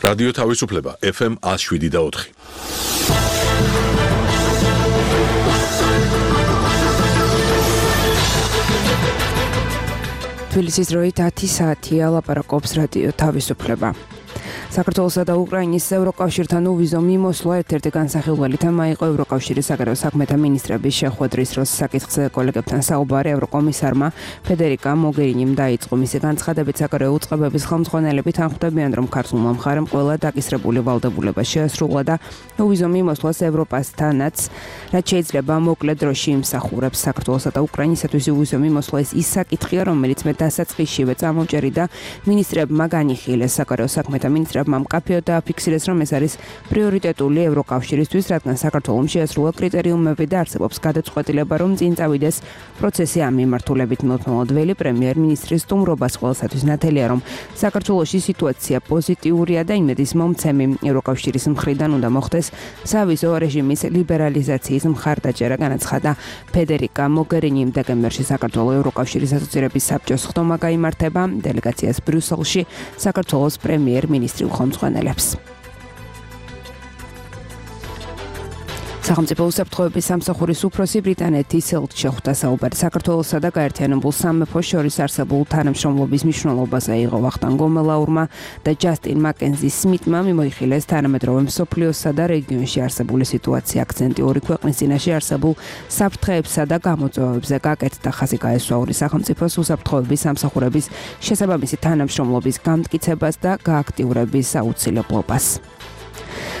რადიო თავისუფლება FM 107.4. თბილისის დროით 10 საათია ლაპარაკობს რადიო თავისუფლება. საქართველოსა და უკრაინის ევროკავშირთან უვიზო მიმოსვლა ერთ-ერთი განსახილველი თემა იყო ევროკავშირის საგარეო საქმეთა მინისტრების შეხვედრის დროს საკითხზე კოლეგებთან საუბარი ევროკომისარმა ფედერიკა მოგერინიმ დაიწყო. მისი განცხადებით საგარეო უწყებების ხელმძღვანელები თანხმდებიან, რომ ქართულმა მხარემ ყველა დაკისრებული ვალდებულება შეასრულა და უვიზო მიმოსვლას ევროპასთანაც რაც შეიძლება მოკლე დროში იმსახურებს. საქართველოსა და უკრაინისათვის უვიზო მიმოსვლა ის საკითხია, რომელიც მე დასაწყისშივე წამოვჭერი და მინისტრებმა განიხილეს. საგარეო საქმეთა მინისტრებმა მკაფიოდ დააფიქსირეს, რომ ეს არის პრიორიტეტული ევროკავშირისთვის, რადგან საქართველოს შეასრულა კრიტერიუმები და არსებობს გადაწყვეტილება, რომ წინ წავიდეს პროცესი ამ მიმართულებით. მოთმობელი პრემიერ-მინისტრის სტუმრობას ყველასათვის ნათელია, რომ საქართველოში სიტუაცია პოზიტიურია და იმედის მომცემი. ევროკავშირის მხრიდან უნდა მოხდეს სავიზო რეჟიმის ლიბერალიზაციის მხარდაჭერა, განაცხადა ფედერიკა მოგერინიმ. დეკემბერში საქართველოს ევროკავშირის ასოცირების საბჭოს ხდომა გაიმართება დელეგაციას ბრიუსელში საქართველოს პრემიერ-მინისტრი ხელმძღვანელებს. სახელმწიფო უსაფრთხოების სამსახურის უფროსი ბრიტანეთის შეხვდა საუბარი საქართველოსა და გაერთიანებულ სამეფოს შორის არსებულ თანამშრომლობის მნიშვნელობაზე. იყო ვახტანგ გომელაურმა და ჯასტინ მაკენზი სმიტმა მიმოიხილეს თანამედროვე მსოფლიოსა და რეგიონში არსებული სიტუაცია. აქცენტი ორი ქვეყნის წინაშე არსებულ საფრთხეებსა და გამოწვევებზე გაკეთდა. ხაზი გაესვა ორი სახელმწიფოს უსაფრთხოების სამსახურების შესაბამისი თანამშრომლობის გამტკიცებას და გააქტიურების აუცილებლობას.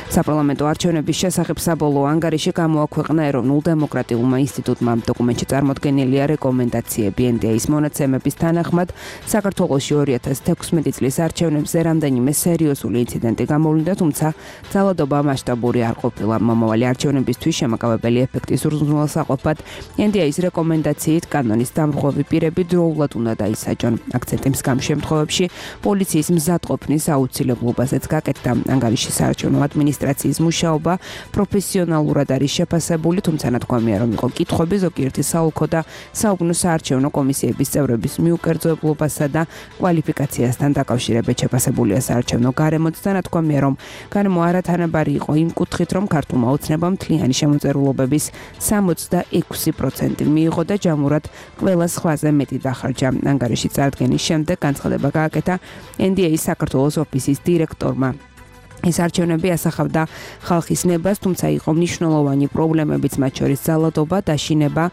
საპარლამენტო არჩევნების შესახებ საბოლოო ანგარიში გამოაქვეყნა ეროვნულ დემოკრატიულმა ინსტიტუტმა. დოკუმენტში წარმოდგენილია რეკომენდაციები. NDA-ის მონაცემების თანახმად საქართველოში 2016 წლის არჩევნებზე რამდენიმე სერიოზული ინციდენტი გამოვლინდა, თუმცა ძალადობა მასშტაბური არ ყოფილა. მომავალი არჩევნებისთვის შემაკავებელი ეფექტის უზრუნველსაყოფად NDA-ის რეკომენდაციით კანონის დამრღვევი პირები დროულად უნდა დაისაჯონ. აქცენტი მსგავს შემთხვევებში პოლიციის მზადყოფნის აუცილებლობაზეც გაკეთდა. ანგარიშის საარჩევნო ადმინისტრაციის მუშაობა პროფესიონალურად არის შეფასებული, თუმცა ნათქვამია, რომ იყო კითხვები ზოგიერთი საოლქო და საუბნო საარჩევნო კომისიების წევრების მიუკერძოებასა და კვალიფიკაციასთან დაკავშირებით. შეფასებულია საარჩევნო გარემოც და ნათქვამია, რომ გარემო არათანაბარი იყო იმ კუთხით, რომ ქართულმა ოცნებამ მთლიანი შემოწირულობების 66% მიიღო და ჯამურად ყველა სხვაზე მეტი დახარჯა. ანგარიში წარდგენის შემდეგ განცხადება გააკეთა NDA-ის საქართველოს ოფისის დირექტორმა. ეს არჩევნები ასახავდა ხალხის ნებას, თუმცა იყო მნიშვნელოვანი პრობლემებიც, მათ შორის ძალადობა, დაშინება,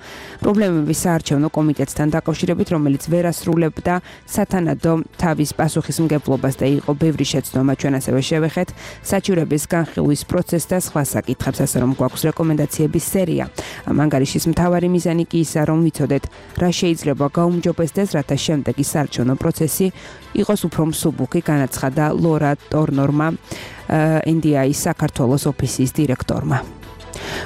პრობლემები საარჩევნო კომიტეტთან დაკავშირებით, რომელიც ვერ ასრულებდა სათანადო თავის პასუხისმგებლობას და იყო ბევრი შეცდომა. ჩვენ ასევე შევეხეთ საჩივრების განხილვის პროცესს და სხვა საკითხებს, ასე რომ გვაქვს რეკომენდაციების სერია. ამ ანგარიშის მთავარი მიზანი კი ისაა, რომ ვიცოდეთ, რა შეიძლება გაუმჯობესდეს, რათა შემდეგი საარჩევნო პროცესი იყოს უფრო მსუბუქი, განაცხადა ლორა ტორნორმა, NDA-ის საქართველოს ოფისის დირექტორმა.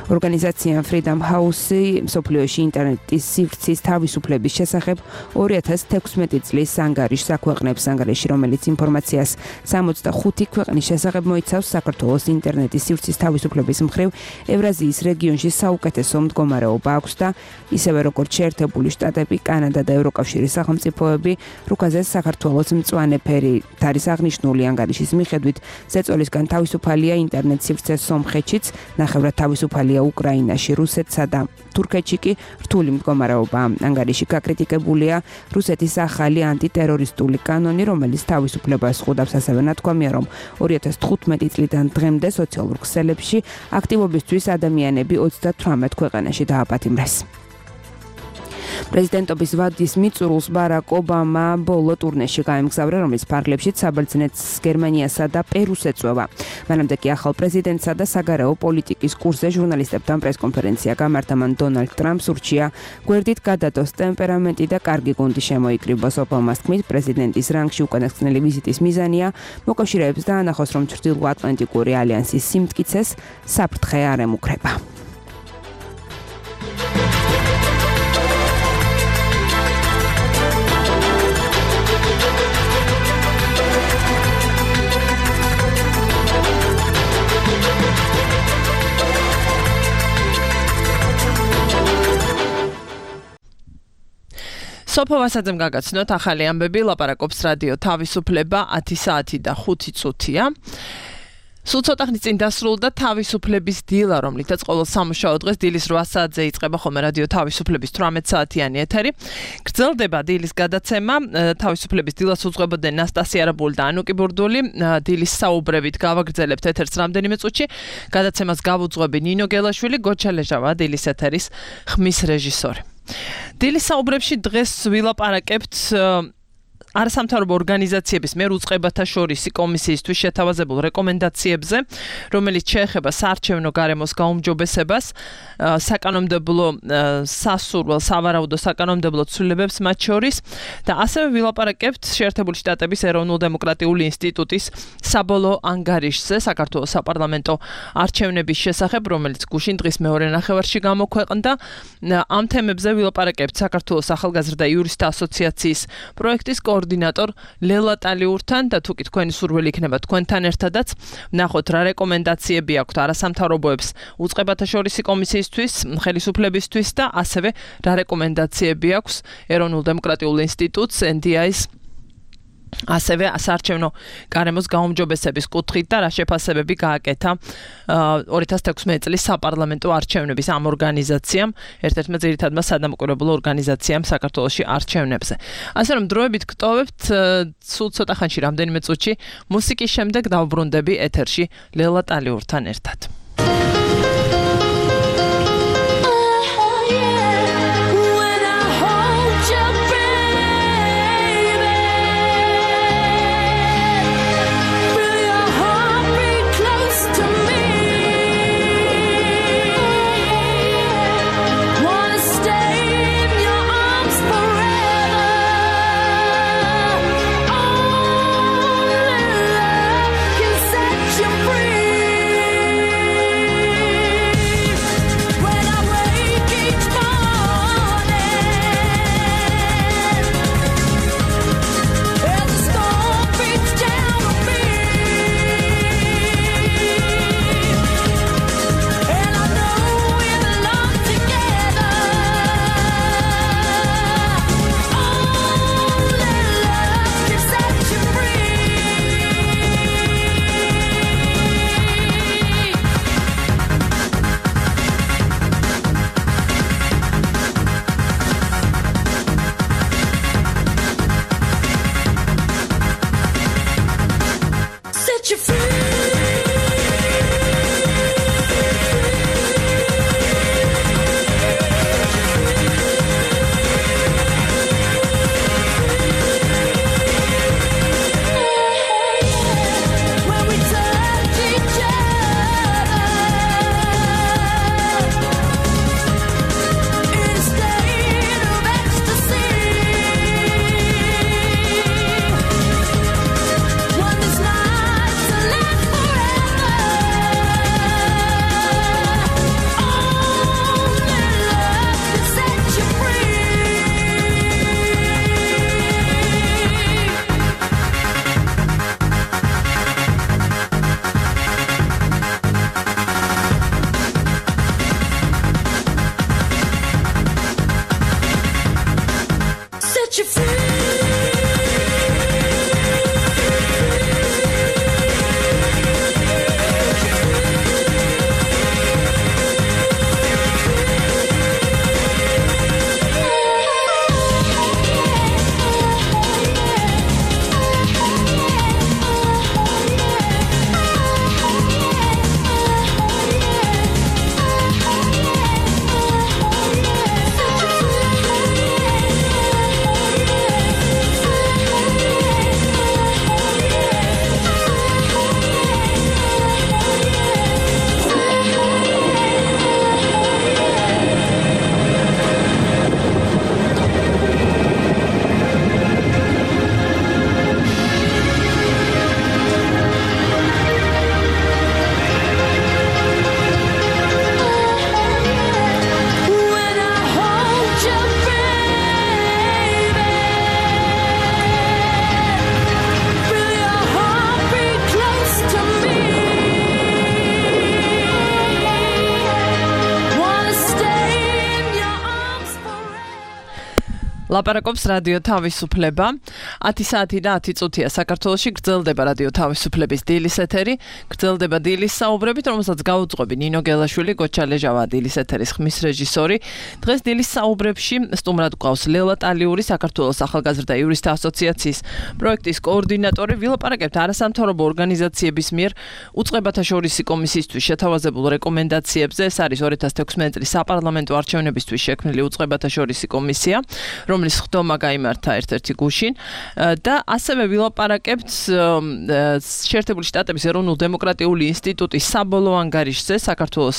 ორგანიზაცია Freedom House მსოფლიოში ინტერნეტის სივრცის თავისუფლების შესახებ 2016 წლის ანგარიშს აქვეყნებს. ანგარიში, რომელიც ინფორმაციას 65 ქვეყნის შესახებ მოიცავს, საქართველოს ინტერნეტის სივრცის თავისუფლების მხრივ ევრაზიის რეგიონში საუკეთესო მდგომარეობა აქვს და ისევე როგორც შეერთებული შტატები, კანადა და ევროკავშირის სახელმწიფოები, რუკაზე საქართველოს მწვანე ფერი არის აღნიშნული. ანგარიშის მიხედვით ზეწოლისგან თავისუფალია ინტერნეტ სივრცე სომხეთშიც, ნახევრად თავისუფალია უკრაინაში, რუსეთსა და თურქეთში კი რთული მდგომარეობა. ანგარიში გაკრიტიკებულია რუსეთის ახალი ანტიტერორისტული კანონი, რომელიც თავისუფლებას ხვდავს. ასევე ნათქვამია, რომ 2015 წლიდან დღემდე სოციალურ ქსელებში აქტივობისთვის ადამიანები 38 ქვეყანაში დააპატიმრეს. პრეზიდენტობის ვადის მიწურულს ბარაკ ობამა ბოლო ტურნეში გაემგზავრა, რომლის ფარგლებშიც საბერძნეთს, გერმანიასა და პერუს ეწვევა. მანამდე კი ახალ პრეზიდენტსა და საგარეო პოლიტიკის კურსზე ჟურნალისტებთან პრესკონფერენცია გამართა. მან დონალდ ტრამპს ურჩია გვერდით გადადოს ტემპერამენტი და კარგი გუნდი შემოიკრიბოს. ობამას თქმით, პრეზიდენტის რანგში უკანასკნელი ვიზიტის მიზანია მოკავშირეებს დაანახოს, რომ ჩრდილოატლანტიკური ალიანსის სიმტკიცეს საფრთხე არ ემუქრება. სოფო ვასაძემ გაგაცნოთ ახალი ამბები, ლაპარაკობს რადიო თავისუფლება 10 საათი და 5 წუთია. სულ ცოტა ხნის წინ დასრულდა თავისუფლების დილა, რომლითაც ყოველ სამუშაო დღეს დილის 8 საათზე იწყება ხოლმე რადიო თავისუფლების 18 საათიანი ეთერი. გრძელდება დილის გადაცემა, თავისუფლების დილას უძღვებოდნენ ნასტასია არაბული და ანუკი ბურდული. დილის საუბრებით გავაგრძელებთ ეთერს რამდენიმე წუთში. გადაცემას გავუძღვები ნინო გელაშვილი, გოჩა ლეჟავა, დილის ეთერის ხმის რეჟისორი. დილის საუბრებში დღეს ვილაპარაკებთ არასამთავრობო ორგანიზაციების მიერ უწყებათა შორის კომისიისთვის შეთავაზებულ რეკომენდაციებზე, რომელიც შეეხება საარჩევნო გარემოს გაუმჯობესებას, საკანონმდებლო სასურველ, სავარაუდო საკანონმდებლო ცვლილებებს მათ შორის და ასევე ვილაპარაკებთ შეერთებული შტატების ეროვნულ-დემოკრატიული ინსტიტუტის საბოლოო ანგარიშზე საქართველოს საპარლამენტო არჩევნების შესახებ, რომელიც გუშინ დღის მეორე ნახევარში გამოქვეყნდა. ამ თემებზე ვილაპარაკებთ საქართველოს ახალგაზრდა იურისტთა ასოციაციის პროექტის კოორდინატორ ლელა ტალიურთან და თუ კი თქვენი სურვილი იქნება თქვენთან ერთადაც, ვნახოთ რა რეკომენდაციები აქვთ არასამთავრობოებს უწყებათა შორისი კომისიისთვის, ხელისუფლებისთვის და ასევე რა რეკომენდაციები აქვს ეროვნულ-დემოკრატიულ ინსტიტუტს NDI-ს ასევე საარჩევნო გარემოს გაუმჯობესების კუთხით და რა შეფასებები გააკეთა 2016 წლის საპარლამენტო არჩევნების ამ ორგანიზაციამ, ერთ-ერთმა ძირითადმა სადამკვირვებლო ორგანიზაციამ საქართველოში არჩევნებზე. ასე რომ დროებით გტოვებთ სულ ცოტა ხანში რამდენიმე წუთში მუსიკის შემდეგ დავბრუნდები ეთერში ლელა ტალიურთან ერთად. Free. ლაპარაკობს რადიო თავისუფლება. 10 საათი და 10 წუთია საქართველოში გრძელდება რადიო თავისუფლების დილის ეთერი. გრძელდება დილის საუბრებით, რომელსაც გაუძღვები ნინო გელაშვილი, გოჩა ლეჟავა დილის ეთერის ხმის რეჟისორი. დღეს დილის საუბრებში სტუმრად გვყავს ლელა ტალიური, საქართველოს ახალგაზრდა იურისტთა ასოციაციის პროექტის კოორდინატორი. ვილაპარაკებთ არასამთავრობო ორგანიზაციების მიერ უწყებათა შორისი კომისიისთვის შეთავაზებულ რეკომენდაციებზე. ეს არის 2016 წლის საპარლამენტო არჩევნებისთვის შექმნილი უწყებათა შორისი კომისია, რომლის ხდომა გაიმართა ერთ-ერთი გუშინ და ასევე ვილაპარაკებთ შეერთებული შტატების ეროვნულ დემოკრატიული ინსტიტუტის საბოლოო ანგარიშზე საქართველოს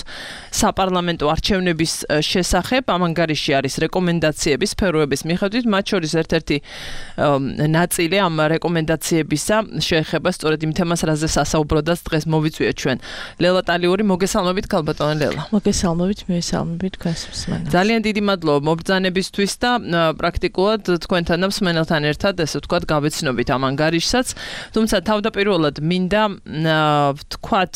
საპარლამენტო არჩევნების შესახებ. ამ ანგარიში არის რეკომენდაციები სფეროების მიხედვით, მათ შორის ერთ-ერთი ნაწილი ამ რეკომენდაციებისა შეეხება სწორედ იმ თემას, რაზეც ასაუბროდაც დღეს მოვიწვიეთ ჩვენ. ლელა ტალიური, მოგესალმებით ქალბატონო ლელა. მოგესალმებით, მესალმებით თქვენს მსმენელს. ძალიან დიდი მადლობა მობრძანებისთვის და პრაქტიკულად თქვენთან და მსმენელთან ერთად ესე ვთქვათ გავეცნობით ამ ანგარიშსაც. თუმცა თავდაპირველად მინდა ვთქვათ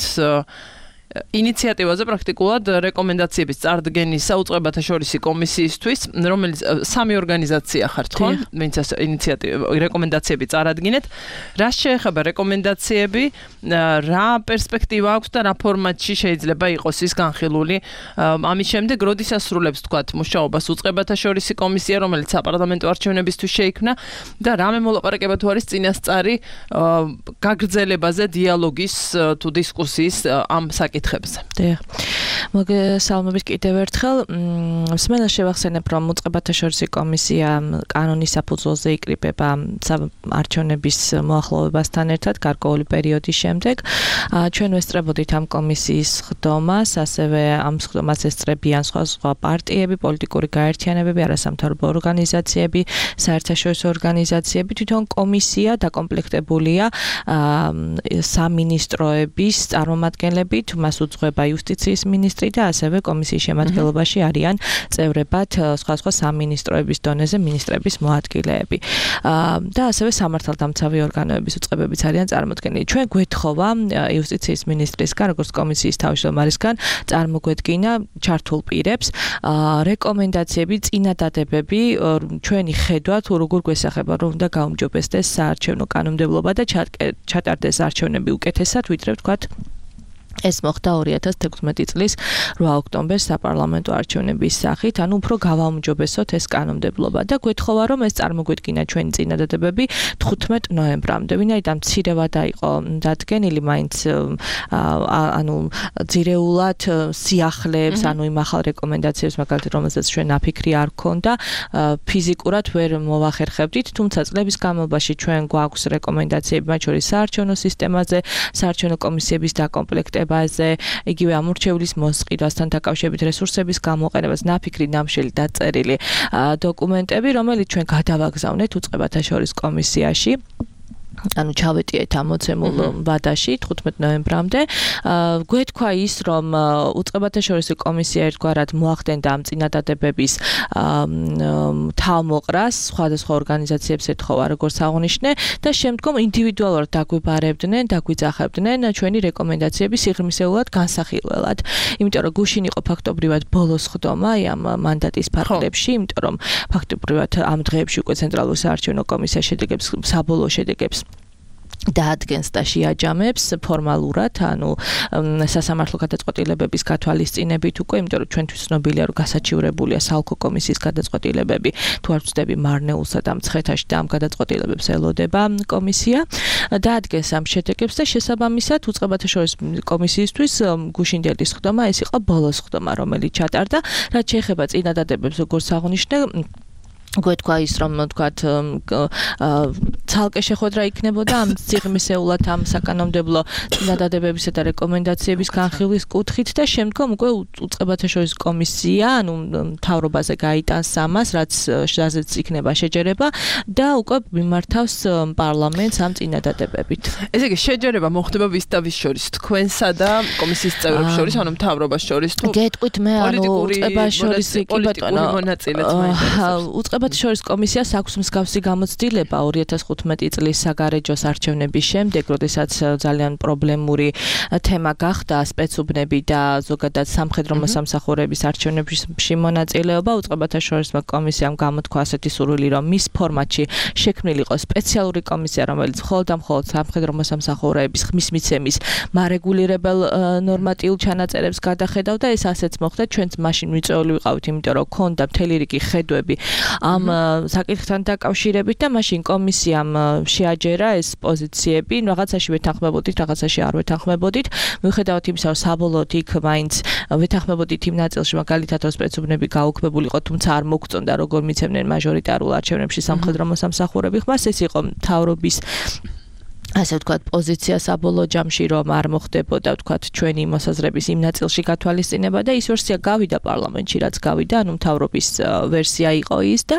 ინიციატივაზე პრაქტიკულად რეკომენდაციების წარდგენისა უწყებათა შორისი კომისიისთვის, რომელიც სამი ორგანიზაცია ხართ, ხო? ვინც ეს რეკომენდაციები წარადგინეთ. რა შეეხება რეკომენდაციები, რა პერსპექტივა აქვს და რა ფორმატში შეიძლება იყოს ის განხილული. ამის შემდეგ როდის ასრულებს ვთქვათ მუშაობას უწყებათა შორისი კომისია, რომელიც საპარლამენტო არჩევნებისთვის შეიქმნა და რამე მოლაპარაკება თუ არის წინასწარი გაგრძელებაზე დიალოგის თუ დისკუსიის ამ საკითხებზე. მოგესალმებით კიდევ ერთხელ. მსმენელს შევახსენებ, რომ უწყებათა შორისი კომისია კანონის საფუძველზე იკრიბება არჩევნების მოახლოვებასთან ერთად გარკვეული პერიოდის შემდეგ. ჩვენ ვესწრებოდით ამ კომისიის ხდომას, ასევე ამ ხდომას ესწრებიან სხვა პარტიები, პოლიტიკური გაერთიანებები, არასამთავრობო ორგანიზაციები, საერთაშორისო ორგანიზაციები. თვითონ კომისია დაკომპლექტებულია სამინისტროების წარმომადგენლებით, მას უძღვება იუსტიციის მინისტრი და ასევე კომისიის შემადგენლობაში არიან წევრებად სხვა სამინისტროების დონეზე მინისტრების მოადგილეები. და ასევე სამართალდამცავი ორგანოების უწყებებიც არიან წარმოდგენილი. ჩვენ გვეთხოვა იუსტიციის მინისტრისგან, როგორც კომისიის თავმჯდომარისგან, წარმოგვედგინა ჩართულ პირებს რეკომენდაციები, წინადადებები, ჩვენი ხედვა თუ როგორ გვესახება, რომ უნდა გაუმჯობესდეს საარჩევნო კანონმდებლობა და ჩატარდეს არჩევნები უკეთესად, ვიდრე ვთქვათ ეს მოხდა 2016 წლის 8 ოქტომბერს საპარლამენტო არჩევნების სახით, ანუ უფრო გავაუმჯობესოთ ეს კანონმდებლობა და გვეთხოვა, რომ ეს წარმოგვედგინა ჩვენი წინადადებები 15 ნოემბრამდე. ვინაიდან მცირეvad იყო დადგენილი, მაინც ანუ ძირეულად სიახლეებს, ანუ იმ ახალ რეკომენდაციებს, მაგალითად, რომელსაც ჩვენ აფიქრი არ გქონდა, ფიზიკურად ვერ მოვახერხებდით, თუმცა წლების განმავლობაში ჩვენ გვაქვს რეკომენდაციები, მათ შორის საარჩევნო სისტემაზე, საარჩევნო კომისიების დაკომპლექტებაზე, იგივე ამორჩევლის მოსყიდვასთან დაკავშირებით რესურსების გამოყენებას, ნაფიქრი ნამშელი დაწერილი დოკუმენტები, რომელიც ჩვენ გადავაგზავნეთ უწყებათა შორის კომისიაში. ანუ ჩავეტიეთ ამოცემულ ვადაში 15 ნოემბრამდე. გვეთქვა ის, რომ უწყებათა შორისი კომისია ერთგვარად მოახდენდა ამ წინადადებების თავმოყრას, სხვადასხვა ორგანიზაციებს ეთხოვა, როგორც აღნიშნე, და შემდგომ ინდივიდუალურად დაგვიბარებდნენ, დაგვიძახებდნენ ჩვენი რეკომენდაციების სიღრმისეულად განსახილველად. იმიტომ რომ გუშინ იყო ფაქტობრივად ბოლოს ხდომა ამ მანდატის ფარგლებში, იმიტომ რომ ფაქტობრივად ამ დღეებში უკვე ცენტრალური საარჩევნო კომისია შედეგებს, საბოლოო შედეგებს დაადგენს და შეაჯამებს ფორმალურად, ანუ სასამართლო გადაწყვეტილებების გათვალისწინებით უკვე, იმიტომ რომ ჩვენთვის ცნობილია, რომ გასაჩივრებულია საოლქო კომისიის გადაწყვეტილებები, თუ არ ვწდები მარნეულსა და მცხეთაში და ამ გადაწყვეტილებებს ელოდება კომისია, დაადგენს ამ შედეგებს და შესაბამისად უწყებათა შორის კომისიისთვის გუშინდელის ხდომა ეს იყო ბოლოს ხდომა, რომელიც ჩატარდა, რაც შეეხება წინადადებებს, როგორც აღნიშნე, გვეთქვა ის, რომ თქვათ ცალკე შეხვედრა იქნებოდა ამ სიღრმისეულად ამ საკანონმდებლო წინადადებებისა და რეკომენდაციების განხილვის კუთხით და შემდგომ უკვე უწყებათა შორის კომისია, ანუ მთავრობაზე გაიტანს ამას, რაზეც იქნება შეჯერება და უკვე მიმართავს პარლამენტს ამ წინადადებებით. ესე იგი შეჯერება მოხდება ვის და ვის შორის, თქვენსა და კომისიის წევრებს შორის, ანუ მთავრობას შორის თუ გეტყვით მე, ანუ უწყებათა შორის კი ბატონო მონაწილეც მაინტერესებს. უწყებათა შორის კომისიას აქვს მსგავსი გამოცდილება 2015 2015 წლის საგარეჯოს არჩევნების შემდეგ, როდესაც ძალიან პრობლემური თემა გახდა სპეცუბნები და ზოგადად სამხედრო მოსამსახურეების არჩევნებში მონაწილეობა, უწყებათა შორისმა კომისიამ გამოთქვა ასეთი სურვილი, რომ მის ფორმატში შექმნილიყო სპეციალური კომისია, რომელიც მხოლოდ და მხოლოდ სამხედრო მოსამსახურეების ხმის მიცემის მარეგულირებელ ნორმატიულ ჩანაწერებს გადახედავდა. ეს ასეც მოხდა, ჩვენც მაშინ მიწვეული ვიყავით, იმიტომ რომ ქონდა მთელი რიგი ხედვები ამ საკითხთან დაკავშირებით და მაშინ კომისიამ შეაჯერა ეს პოზიციები, რაღაცაში ვეთანხმებოდით, რაღაცაში არ ვეთანხმებოდით. მიუხედავად იმისა, რომ საბოლოოდ იქ მაინც ვეთანხმებოდით იმ ნაწილში, მაგალითად რომ სპეცუბნები გაუქმებულიყო, თუმცა არ მოგწონდა როგორ მიცემდნენ მაჟორიტარულ არჩევნებში სამხედრო მოსამსახურები ხმას, ეს იყო მთავრობის ასე ვთქვათ, პოზიცია საბოლოო ჯამში, რომ არ მოხდებოდა, ვთქვათ, ჩვენი მოსაზრების იმ ნაწილში გათვალისწინება და ის ვერსია გავიდა პარლამენტში, რაც გავიდა, ანუ მთავრობის ვერსია იყო ის და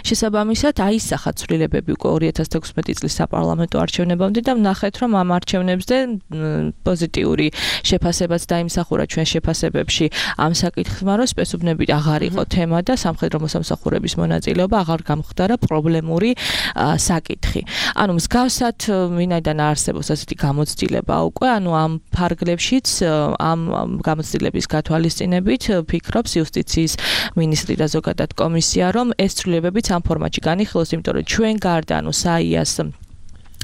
შესაბამისად აისახა ცვლილებები უკვე 2016 წლის საპარლამენტო არჩევნებამდე და ვნახეთ, რომ ამ არჩევნებზე პოზიტიური შეფასებაც დაიმსახურა ჩვენ შეფასებებში ამ საკითხმა, რომ სპეცუბნები აღარ იყო თემა და სამხედრო მოსამსახურების მონაწილეობა აღარ გამხდარა პრობლემური საკითხი. ანუ მსგავსად ვინაიდან არსებობს ასეთი გამოცდილება უკვე, ანუ ამ ფარგლებშიც ამ გამოცდილების გათვალისწინებით ფიქრობს იუსტიციის მინისტრი და ზოგადად კომისია, რომ ეს ცვლილებებიც ამ ფორმატში განიხილოს, იმიტომ რომ ჩვენ გარდა, ანუ საიას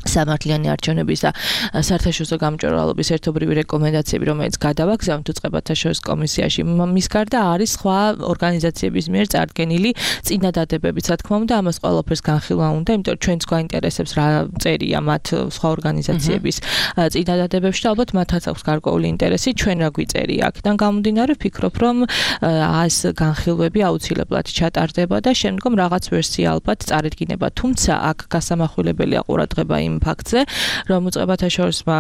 სამართლიანი არჩევნების და საერთაშორისო გამჭვირვალობის ერთობრივი რეკომენდაციები, რომელიც გადავაგზავნთ უწყებათა შორის კომისიაში, მის გარდა არის სხვა ორგანიზაციების მიერ წარდგენილი წინადადებებიც, რა თქმა უნდა, ამას ყველაფერს განხილვა უნდა, იმიტომ რომ ჩვენც გვაინტერესებს რა წერია მათ სხვა ორგანიზაციების წინადადებებში და ალბათ მათაც აქვს გარკვეული ინტერესი, ჩვენ რა გვიწერია. აქედან გამომდინარე, ვფიქრობ, რომ ეს განხილვები აუცილებლად ჩატარდება და შემდგომ რაღაც ვერსია ალბათ წარედგინება, თუმცა აქ გასამახვილებელია ყურადღება იმ ფაქტზე, რომ უწყებათა შორისმა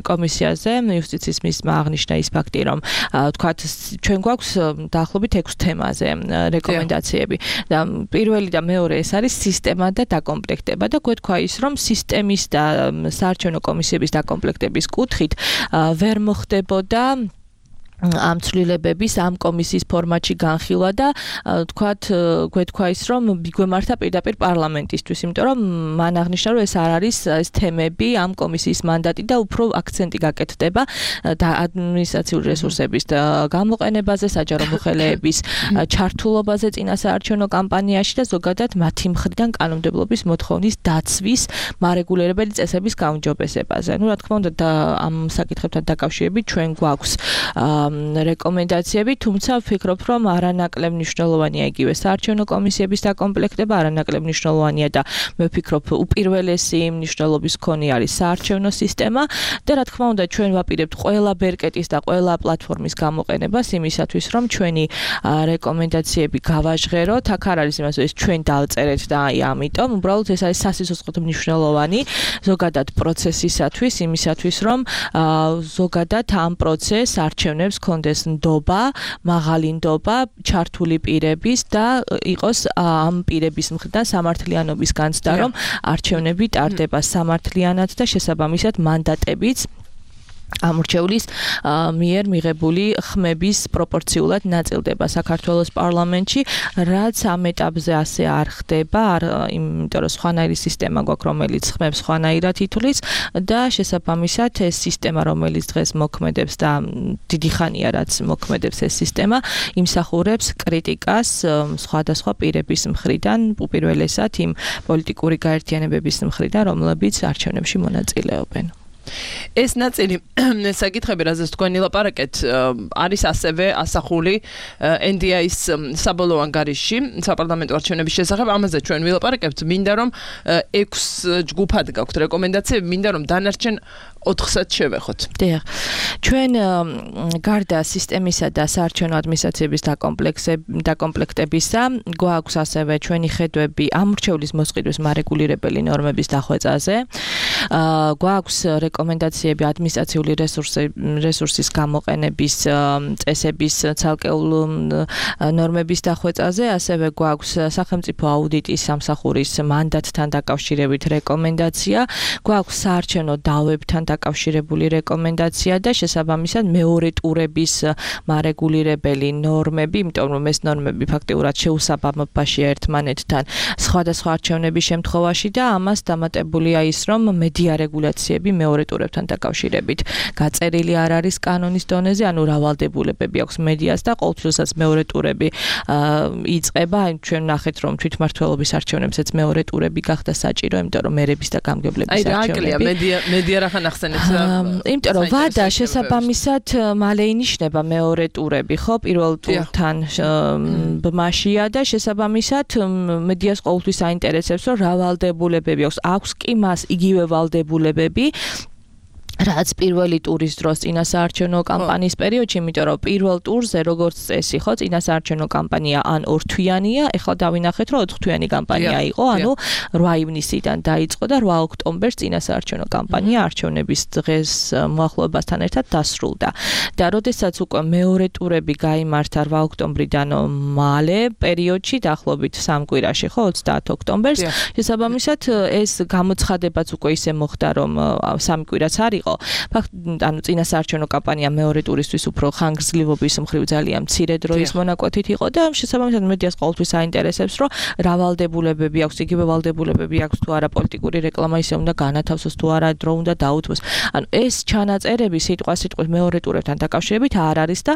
კომისიაზე იუსტიციის მინისტრმა აღნიშნა ის ფაქტი, რომ ვთქვათ, ჩვენ გვაქვს დაახლოებით 6 თემაზე რეკომენდაციები და პირველი და მეორე ეს არის სისტემა და დაკომპლექტება და გვეთქვა ის, რომ სისტემის და საარჩევნო კომისიების დაკომპლექტების კუთხით ვერ მოხდებოდა ამ ცვლილებების ამ კომისიის ფორმატში განხილვა და თქვათ გვეთქვა ის, რომ გვემართა პირდაპირ პარლამენტისთვის, იმიტომ რომ მან აღნიშნა, რომ ეს არ არის ეს თემები ამ კომისიის მანდატი და უფრო აქცენტი გაკეთდება და ადმინისტრაციული რესურსების გამოყენებაზე, საჯარო მოხელეების ჩართულობაზე წინა საარჩევნო კამპანიაში და ზოგადად მათი მხრიდან კანონმდებლობის მოთხოვნის დაცვის მარეგულირებელი წესების გაუმჯობესებაზე. რა თქმა უნდა, ამ საკითხებთან დაკავშირებით ჩვენ გვაქვს რეკომენდაციები, თუმცა ვფიქრობ, რომ არანაკლებ მნიშვნელოვანია იგივე საარჩევნო კომისიების დაკომპლექტება, არანაკლებ მნიშვნელოვანია და მე ვფიქრობ, უპირველესი მნიშვნელობის მქონე არის საარჩევნო სისტემა და რა თქმა უნდა, ჩვენ ვაპირებთ ყველა ბერკეტის და ყველა პლატფორმის გამოყენებას იმისათვის, რომ ჩვენი რეკომენდაციები გავაჟღეროთ. აქ არ არის იმას, ეს ჩვენ დავწერეთ და აი ამიტომ, უბრალოდ ეს არის სასიცოცხლო მნიშვნელოვანი ზოგადად პროცესისათვის, იმისათვის, რომ ზოგადად ამ პროცესს არჩევნებს კონდეს ნდობა, მაღალი ნდობა, ჩართული პირების და იყოს ამ პირების მხრიდან სამართლიანობის განცდა, რომ არჩევნები ტარდება სამართლიანად და შესაბამისად მანდატებიც ამორჩევლის მიერ მიღებული ხმების პროპორციულად ნაწილდება საქართველოს პარლამენტში, რაც ამ ეტაპზე ასე არ ხდება, იმიტომ რომ სხვანაირი სისტემა გვაქვს, რომელიც ხმებს სხვანაირად ითვლის და შესაბამისად ეს სისტემა, რომელიც დღეს მოქმედებს და დიდი ხანია რაც მოქმედებს ეს სისტემა, იმსახურებს კრიტიკას სხვადასხვა პირების მხრიდან, უპირველესად იმ პოლიტიკური გაერთიანებების მხრიდან, რომლებიც არჩევნებში მონაწილეობენ. ეს ნაწილი საკითხები, რაზეც თქვენ ილაპარაკეთ, არის ასევე ასახული NDI-ის საბოლოო ანგარიშში საპარლამენტო არჩევნების შესახებ. ამაზე ჩვენ ვილაპარაკებთ. მინდა რომ 6 ჯგუფად გაქვთ რეკომენდაციები, მინდა რომ დანარჩენ 4-საც შევეხოთ. დიახ. ჩვენ გარდა სისტემისა და საარჩევნო ადმინისტრაციების დაკომპლექტებისა, გვაქვს ასევე ჩვენი ხედვები ამორჩევლის მოსყიდვის მარეგულირებელი ნორმების დახვეწაზე. გვაქვს რეკომენდაციები ადმინისტრაციული რესურსის გამოყენების წესების ცალკეულ ნორმების დახვეწაზე, ასევე გვაქვს სახელმწიფო აუდიტის სამსახურის მანდატთან დაკავშირებით რეკომენდაცია, გვაქვს საარჩევნო დავებთან დაკავშირებული რეკომენდაცია და შესაბამისად მეორე ტურების მარეგულირებელი ნორმები, იმიტომ რომ ეს ნორმები ფაქტიურად შეუსაბამობაშია ერთმანეთთან სხვადასხვა არჩევნების შემთხვევაში და ამას დამატებულია ის, რომ მედია რეგულაციები მეორე ტურებთან დაკავშირებით გაწერილი არ არის კანონის დონეზე, ანუ რავალდებულებები აქვს მედიას და ყოველთვისაც მეორე ტურები იწყება, ჩვენ ნახეთ რომ თვითმმართველობის არჩევნებსაც მეორე ტურები გახდა საჭირო, იმიტომ რომ მერების და გამგებლების არჩევნები. მედია რახან ახსენებს იმიტომ რომ ვადა შესაბამისად მალე ინიშნება მეორე ტურები, ხო, პირველ ტურთან ბმაშია და შესაბამისად მედიას ყოველთვის აინტერესებს რომ რავალდებულებები აქვს კი მას იგივე ვალდებულებები რაც პირველი ტურის დროს წინასაარჩევნო კამპანიის პერიოდში, იმიტომ რომ პირველ ტურზე როგორც წესი, ხო, წინასაარჩევნო კამპანია ან ორთვიანია, ეხლა დავინახეთ, რომ 4-თვიანი კამპანია იყო, ანუ 8 ივნისიდან დაიწყო და 8 ოქტომბერს წინასაარჩევნო კამპანია არჩევნების დღეს მოახლოებასთან ერთად დასრულდა. და როდესაც უკვე მეორე ტურები გაიმართა 8 ოქტომბრიდან მალე პერიოდში, დაახლოებით 3 კვირაში, ხო, 30 ოქტომბერს, შესაბამისად ეს გამოცხადებაც უკვე ისე მოხდა, რომ 3 კვირაც არ იყო. ანუ წინასაარჩევნო კამპანია მეორე ტურისთვის უფრო ხანგრძლივობის მხრივ ძალიან მცირე დროის მონაკვეთით იყო და შესაბამისად მედიას ყოველთვის აინტერესებს, რომ რავალდებულებები აქვს, იგივე ვალდებულებები აქვს თუ არა პოლიტიკური რეკლამა ისე უნდა განათავსოს თუ არა დრო უნდა დაუთმოს. ანუ ეს ჩანაწერები სიტყვასიტყვით მეორე ტურებთან დაკავშირებით არ არის და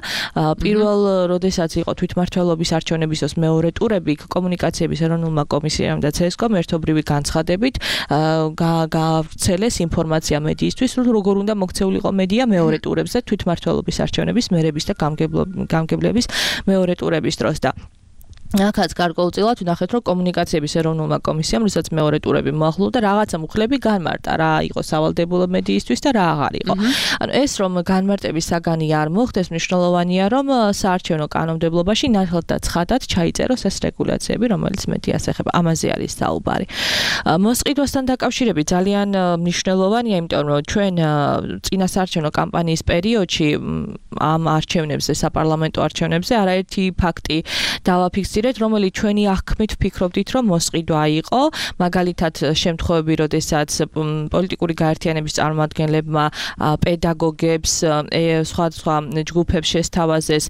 პირველ როდესაც იყო თვითმმართველობის არჩევნების დროს მეორე ტურები კომუნიკაციების ეროვნულმა კომისიამ და CSKOM ერთობრივი განცხადებით გაავრცელეს ინფორმაცია მედიისთვის, როგორ უნდა მოქცეულიყო მედია მეორე ტურებზე თვითმმართველობის არჩევნების მერების და გამგებლების მეორე ტურების დროს და ახაც გარკვეულწილად ვნახეთ, რომ კომუნიკაციების ეროვნულმა კომისიამ, როდესაც მეორე ტურები მოახლოვდა, რაღაცა მუხლები განმარტა, რა იყო სავალდებულო მედიისთვის და რა აღარ იყო. ანუ ეს რომ განმარტების საგანი არ მოხდეს, მნიშვნელოვანია, რომ საარჩევნო კანონმდებლობაში ნათლად და ცხადად ჩაიწეროს ეს რეგულაციები, რომელიც მედიას ეხება. ამაზე არის საუბარი. მოსყიდვასთან დაკავშირებით ძალიან მნიშვნელოვანია, იმიტომ რომ ჩვენ წინასაარჩევნო კამპანიის პერიოდში ამ არჩევნებზე, საპარლამენტო არჩევნებზე არაერთი ფაქტი დავაფიქსირეთ, რომელიც ჩვენი აღქმით ვფიქრობდით, რომ მოსყიდვა იყო, მაგალითად შემთხვევები, როდესაც პოლიტიკური გაერთიანების წარმომადგენლებმა პედაგოგებს, სხვა ჯგუფებს შესთავაზეს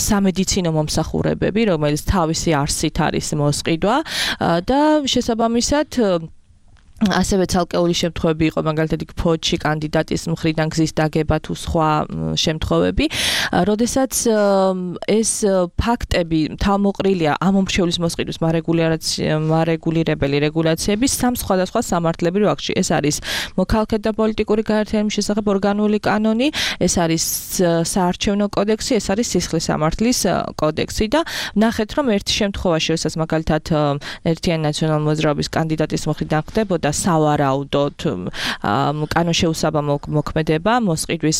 სამედიცინო მომსახურებები, რომელიც თავისი არსით არის მოსყიდვა და შესაბამისად ასევე ცალკეული შემთხვევები იყო, მაგალითად ფოჩი კანდიდატის მხრიდან გზის დაგება თუ სხვა შემთხვევები, როდესაც ეს ფაქტები თავმოყრილია ამ მომრჩევლის მოსყიდვის მარეგულირებელი რეგულაციების სამ სხვადასხვა სამართლებრივ აქტში. ეს არის მოქალაქეთა და პოლიტიკური გაერთიანების შესახებ ორგანული კანონი, ეს არის საარჩევნო კოდექსი, ეს არის სისხლის სამართლის კოდექსი და ნახეთ, რომ ერთ შემთხვევაში, როდესაც მაგალითად ერთიანი ნაციონალური მოძრაობის კანდიდატის მხრიდან ხდებოდა სავარაუდოდ კანონშეუსაბამო მოქმედება მოსყიდვის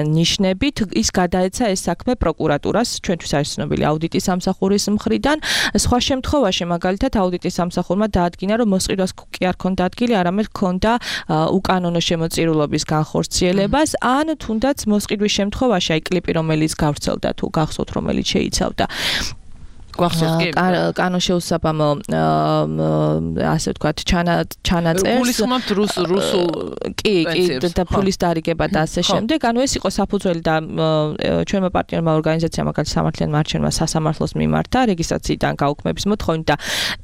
ნიშნებით, ის გადაეცა ეს საქმე პროკურატურას, ჩვენთვის არის ცნობილი აუდიტის სამსახურის მხრიდან. სხვა შემთხვევაში მაგალითად აუდიტის სამსახურმა დაადგინა, რომ მოსყიდვას კი არ ქონდა ადგილი, არამედ ქონდა უკანონო შემოწირულობის განხორციელებას, ან თუნდაც მოსყიდვის შემთხვევაში, აი კლიპი რომელიც გავრცელდა თუ გახსოვთ, რომელიც შეიცავდა კანონშეუსაბამო ასე ვთქვათ ჩანაწერს გულისხმობთ რუსულ კი და ფულის დარიგება და ასე შემდეგ. ანუ ეს იყო საფუძველი და ჩვენმა პარტნიორმა ორგანიზაციამ მაგალითად სამართლიანმა არჩევნებმა სასამართლოს მიმართა რეგისტრაციიდან გაუქმების მოთხოვნით და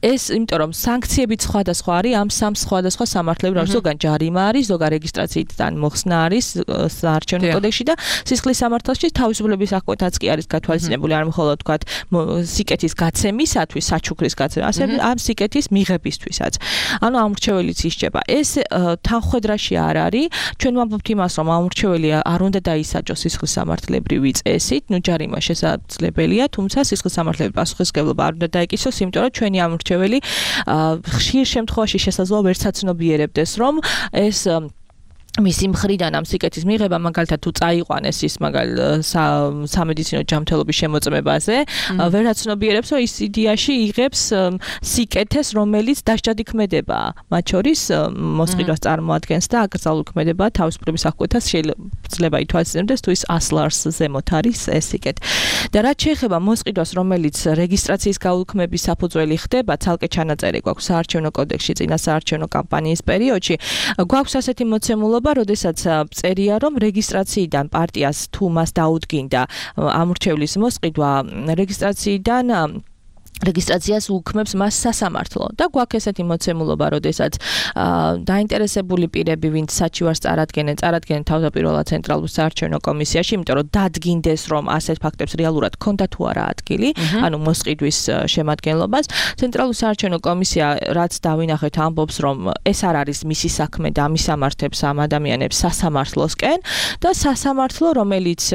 ეს იმიტომ რომ სანქციებიც სხვადასხვა არის ამ სამ სხვადასხვა სამართლებრივ ზოგან ჯარიმა არის, ზოგან რეგისტრაციიდან მოხსნა არის საარჩევნო კოდექსში და სისხლის სამართალში თავისუფლების აღკვეთაც კი არის გათვალისწინებული, არ მხოლოდ ვთქვათ სიკეთის გაცემისათვის, საჩუქრის გაცემა, ასევე ამ სიკეთის მიღებისთვისაც. ანუ ამრჩეველიც ისჯება. ეს თანხმედრაში არ არის. ჩვენ ვამბობთ იმას, რომ ამრჩეველი არ უნდა დაისაჯოს სისხლის სამართლებრივი წესით, ნუ ჯარიმა შესაძლებელია, თუმცა სისხლის სამართლებრივი პასუხისმგებლობა არ უნდა დაიკისროს, იმიტომ რომ ჩვენი ამრჩეველი ხშირ შემთხვევაში შესაძლოა ვერ საცნობიერებდეს, რომ ეს მისი მხრიდან ამ სიკეთის მიღება მაგალითად თუ წაიყვანეს ის სამედიცინო ჯანმრთელობის შემოწმებაზე ვერაც ცნობიერებს რომ ის იდეაში იღებს სიკეთეს რომელიც დასჯადი ქმედებაა მათ შორის მოსყიდვას წარმოადგენს და აკრძალული ქმედება თავისუფლების აღკვეთას შეიძლება ითვალისწინებდეს თუ ის 100 ლარს ზემოთ არის ეს სიკეთე და რაც შეეხება მოსყიდვას რომელიც რეგისტრაციის გაუქმების საფუძველი ხდება ცალკე ჩანაწერი გვაქვს საარჩევნო კოდექსში წინა საარჩევნო კამპანიის პერიოდში გვაქვს ასეთი მოცემულობა როდესაც წერია რომ რეგისტრაციიდან პარტიას თუ მას დაუდგინდა ამურჩევლის მოსყიდვა რეგისტრაციას უქმებს მას სასამართლო და გვაქვს ესეთი მოცემულობა, როდესაც დაინტერესებული პირები, ვინც საჩივარს წარადგენენ თავდაპირველად ცენტრალურ საარჩევნო კომისიაში, იმიტომ რომ დადგინდეს, რომ ასეთ ფაქტებს რეალურად ქონდა თუ არა ადგილი, ანუ მოსყიდვის შემადგენლობას, ცენტრალურ საარჩევნო კომისია რაც დავინახეთ ამბობს, რომ ეს არ არის მისი საქმე და მისამართებს ამ ადამიანებს სასამართლოსკენ და სასამართლო, რომელიც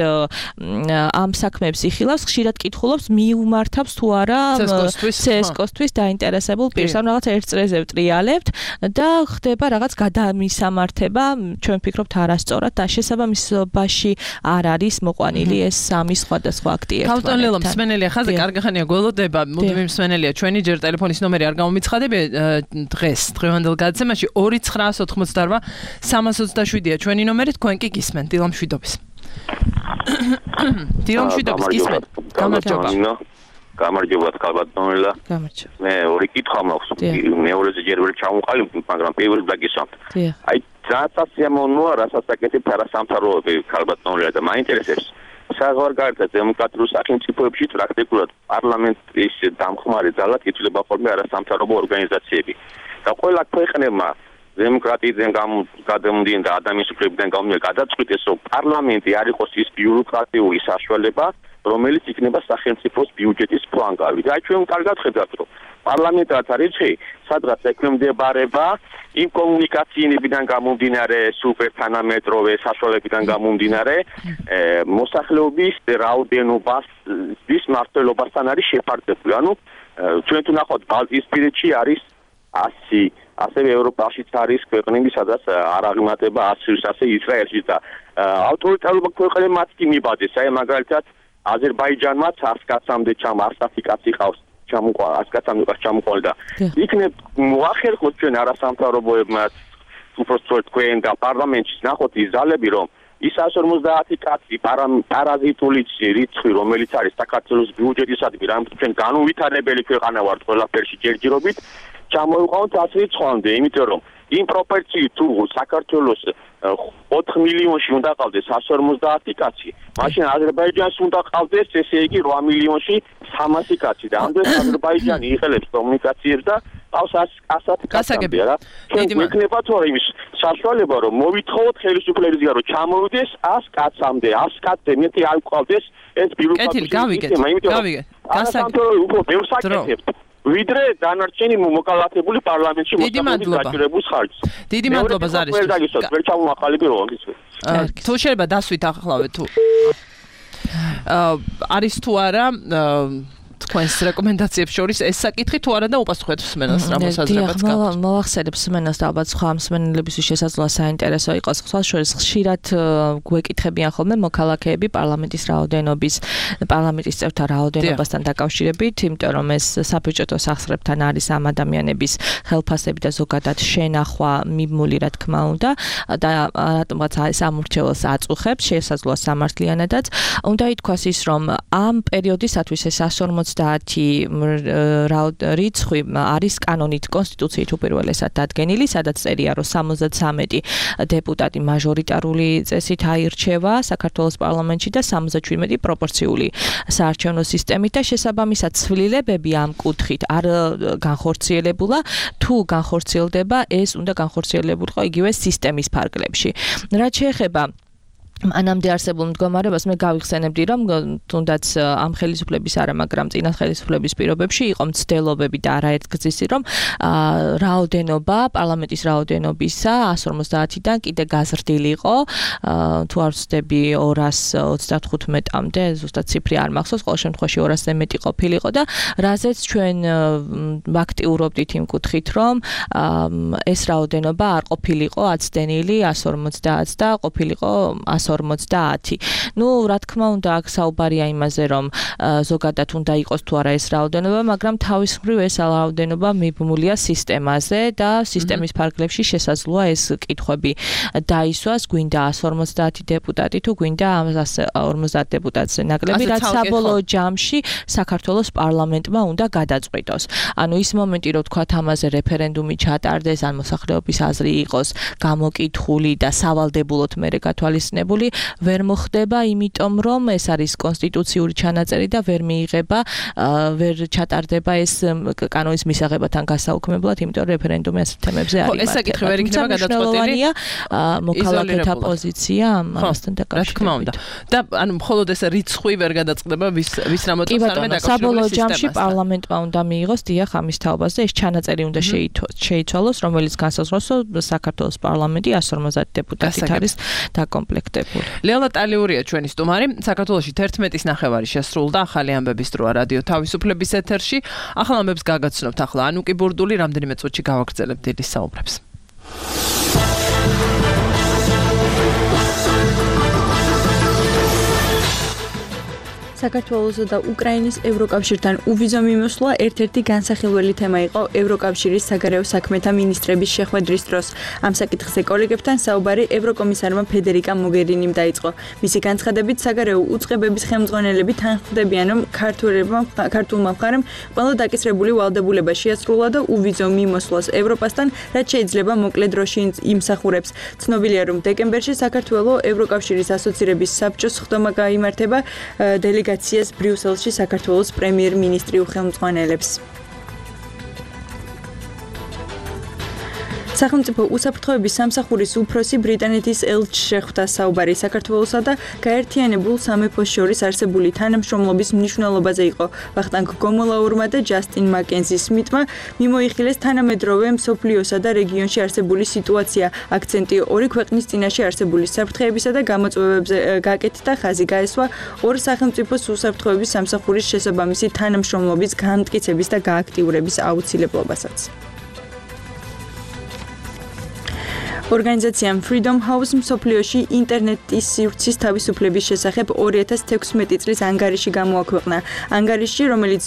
ამ საქმეებს იხილავს, ხშირად კითხულობს მიუმართავს თუ არა CSKOS-თვის დაინტერესებულ პირს, ანუ რაღაც ერთ წრეზე ვტრიალებთ და ხდება რაღაც გადამისამართება, ჩვენ ვფიქრობთ არასწორად და შესაბამისობაში არ არის მოყვანილი ეს სამი სხვადასხვა აქტი ერთმანეთთან. ქალბატონ ლელო, მსმენელია ხაზი, კარგი ხანია გველოდება, მუდმივი მსმენელია, ჩვენი ჯერ ტელეფონის ნომერი არ გამომიცხადებია დღევანდელ გადაცემაში 2988327-ია ჩვენი ნომერი, თქვენ კი გისმენთ დილამშვიდობის. დილამშვიდობის გისმენთ. გამარჯობა ქალბატონელა. მე ორი კითხვა მაქვს. მეორეზე ჯერ ვერ ჩამოყალიბ, მაგრამ პირველ დაგისვამთ. აი, რასაც ამონოა, რასაც აკეთებთ არასამთავრობო ქალბატონელა და მაინტერესებს. საღვარგარეთ დემოკრატიულ სახელმწიფოებში პრაქტიკულად პარლამენტის დამხმარე ძალად ითვლება ხოლმე არასამთავრობო ორგანიზაციები. და ყველა ქვეყნებმა დემოკრატიიდან გადამდინარე და ადამიანის უფლებიდან გამომდინარე გადაწყვიტეს, რომ პარლამენტი არ იყოს ის ბიუროკრატიული საშუალება, რომელიც იქნება სახელმწიფოს ბიუჯეტის ფლანგავი. და ჩვენ კარგად ხედავთ, რომ პარლამენტად არის ხე, სადღაც ექვემდებარება იმ კომუნიკაციებიდან გამომდინარე, სუპერთანამეტროვე საშუალებიდან გამომდინარე, მოსახლეობის რაოდენობას მმართველობასთან არის შეფარდებული. ანუ ჩვენ თუ ნახავთ ბალტიისპირეთში არის 100 ასევე ევროპაშიც არის ქვეყნები, სადაც არ აღიმატება 100-ს, ასე ისრაელში და ავტორიტარულ ქვეყნებმაც კი მიბაძეს. აი მაგალითად აზერბაიჯანმა 100 კაცამდე 100 კაცი ყავს ჩამოყალიბდა და იქნებ მოახერხოთ ჩვენ არასამთავრობოებმაც უბრალოდ თქვენ და პარლამენტში ნახოთ ის ძალები რომ ის 150 კაცი პარაზიტული რიცხვი რომელიც არის საქართველოს ბიუჯეტისადმი რამე ჩვენ განუვითარებელი ქვეყანა ვართ ყველაფერში ჯერჯერობით ჩამოიყვანოთ 100 რიცხვამდე იმიტომ რომ იმ პროპორციით თუ საქართველოს 4 მილიონში უნდა ყავდეს 150 კაცი, მაშინ აზერბაიჯანს უნდა ყავდეს ესე იგი 8 მილიონში 300 კაცი და ამდენ აზერბაიჯანი იღელებს კომუნიკაციებს და ყავს 100 კაცი რა. იქნება თორე იმის საშუალება რომ მოვითხოვოთ ხელისუფლებისგან რომ ჩამოვიდეს 100 კაცამდე, 100 კაცზე მეტი არ ყავდეს ეს ბიუროკრატიული სისტემა, იმიტომ რომ გასაგებია უფრო ბევრს აკეთებთ. ვიდრე დანარჩენი მოკალათებული პარლამენტში მოსახლეობის ხარჯს. დიდი მადლობა ზარის. ვერ ჩამოაყალიბე რომ ის. თუ შეიძლება დასვით ახლავე თუ არის თუ არა თქვენს რეკომენდაციებს შორის ეს საკითხი თუ არა და უპასუხეთ მსმენელს რა მოსაზრებაც გაქვთ. მოვახსენებ მსმენელს და ალბათ სხვა მსმენელებისთვის შესაძლოა საინტერესო იყოს. სხვა შორის ხშირად გვეკითხებიან ხოლმე მოქალაქეები პარლამენტის რაოდენობის, პარლამენტის წევრთა რაოდენობასთან დაკავშირებით, იმიტომ რომ ეს საბიუჯეტო სახსრებთან არის ამ ადამიანების ხელფასები და ზოგადად შენახვა მიმული რა თქმა უნდა და რატომღაც ეს ამურჩეველს აწუხებს, შესაძლოა სამართლიანადაც. უნდა ითქვას ის რომ ამ პერიოდისათვის ეს 150 რიცხვი არის კანონით კონსტიტუციით უპირველესად დადგენილი, სადაც წერია, რომ 73 დეპუტატი მაჟორიტარული წესით აირჩევა საქართველოს პარლამენტში და 77 პროპორციული საარჩევნო სისტემით და შესაბამისად ცვლილებები ამ კუთხით არ განხორციელებულა, თუ განხორციელდება, ეს უნდა განხორციელებულიყო იგივე სისტემის ფარგლებში. რაც შეეხება ანამდე არსებულ მდგომარებას მე გავიხსენებდი, რომ თუნდაც ამ ხელისუფლების არა, მაგრამ წინა ხელისუფლების პირობებში იყო მცდელობები და არაერთგზისი, რომ რაოდენობა, პარლამენტის რაოდენობისა 150-დან კიდე გაზრდილიყო, თუ არ ვცდები 235-მდე, ზუსტად ციფრი არ მახსოვს, ყოველ შემთხვევაში 200-ზე მეტი ყოფილიყო და რაზეც ჩვენ ვაქტიურობდით იმ კუთხით, რომ ეს რაოდენობა არ ყოფილიყო აცდენილი 150 და ყოფილიყო 150. ნუ რა თქმა უნდა აქ საუბარია იმაზე რომ ზოგადად უნდა იყოს თუ არა ეს რაოდენობა, მაგრამ თავის მხრივ ეს რაოდენობა მიბმულია სისტემაზე და სისტემის ფარგლებში შესაძლოა ეს კითხვები დაისვას, გვინდა 150 დეპუტატი თუ გვინდა 150 დეპუტატზე ნაკლები, რაც საბოლოო ჯამში საქართველოს პარლამენტმა უნდა გადაწყვიტოს. ანუ ის მომენტი რომ თქვა ამაზე რეფერენდუმი ჩატარდეს, ან მოსახლეობის აზრი იყოს გამოკითხული და სავალდებულოდ მერე გათვალისწინებული ვერ მოხდება, იმიტომ რომ ეს არის კონსტიტუციური ჩანაწერი და ვერ მიიღება, ვერ ჩატარდება ეს კანონის მისაღებთან გასაუქმებლად, იმიტომ რომ რეფერენდუმი ასეთ თემებზე არ იმართება. ეს საკითხი ვერ იქნება გადაწყვეტილი. მოქალაქეთა პოზიცია ამასთან დაკავშირებით. რა თქმა უნდა. და ანუ მხოლოდ ეს რიცხვი ვერ გადაწყდება, ვის რა მოწონს არ უნდა დაკავშირებული საბოლოო ჯამში პარლამენტმა უნდა მიიღოს დიახ ამის თაობას და ეს ჩანაწერი უნდა შეიცვალოს, რომელიც განსაზღვროს, რომ საქართველოს პარლამენტი 150 დეპუტატით არის დაკომპლექტებული. ლელა ტალიურია ჩვენი სტუმარი. საქართველოში 11:30 შესრულდა ახალი ამბების დროა რადიო თავისუფლების ეთერში. ახალ ამბებს გაგაცნობთ ახლა ანუკი ბურდული, რამდენიმე წუთში გავაგრძელებთ დილის საუბრებს. საქართველოსა და უკრაინის ევროკავშირთან უვიზო მიმოსვლა ერთ-ერთი განსახილველი თემა იყო ევროკავშირის საგარეო საქმეთა მინისტრების შეხვედრის დროს. ამ საკითხზე კოლეგებთან საუბარი ევროკომისარმა ფედერიკა მოგერინიმ დაიწყო. მისი განცხადებით, საგარეო უწყებების ხელმძღვანელები თანხმდებიან, რომ ქართულმა მხარემ ყველა დაკისრებული ვალდებულება შეასრულა და უვიზო მიმოსვლას ევროპასთან, რაც შეიძლება მოკლე დროში იმსახურებს. ცნობილია, რომ დეკემბერში საქართველოს ევროკავშირის ასოცირების საბჭოს ხდომა გაიმართება დელეგაციას ბრიუსელში საქართველოს პრემიერ-მინისტრი უხელმძღვანელებს. სახელმწიფო უსაფრთხოების სამსახურის უფროსი ბრიტანეთის ელჩს შეხვდა საუბარი საქართველოსა და გაერთიანებულ სამეფოს შორის არსებული თანამშრომლობის მნიშვნელობაზე იყო. ვახტანგ გომოლაურმა და ჯასტინ მაკენზი სმიტმა მიმოიხილეს თანამედროვე მსოფლიოსა და რეგიონში არსებული სიტუაცია. აქცენტი ორი ქვეყნის წინაშე არსებული საფრთხეებისა და გამოწვევებზე გაკეთდა, ხაზი გაესვა ორ სახელმწიფოს უსაფრთხოების სამსახურის შესაბამისი თანამშრომლობის განმტკიცების და გააქტიურების აუცილებლობასაც. ორგანიზაციამ Freedom House მსოფლიოში ინტერნეტის სივრცის თავისუფლების შესახებ 2016 წლის ანგარიში გამოაქვეყნა. ანგარიში, რომელიც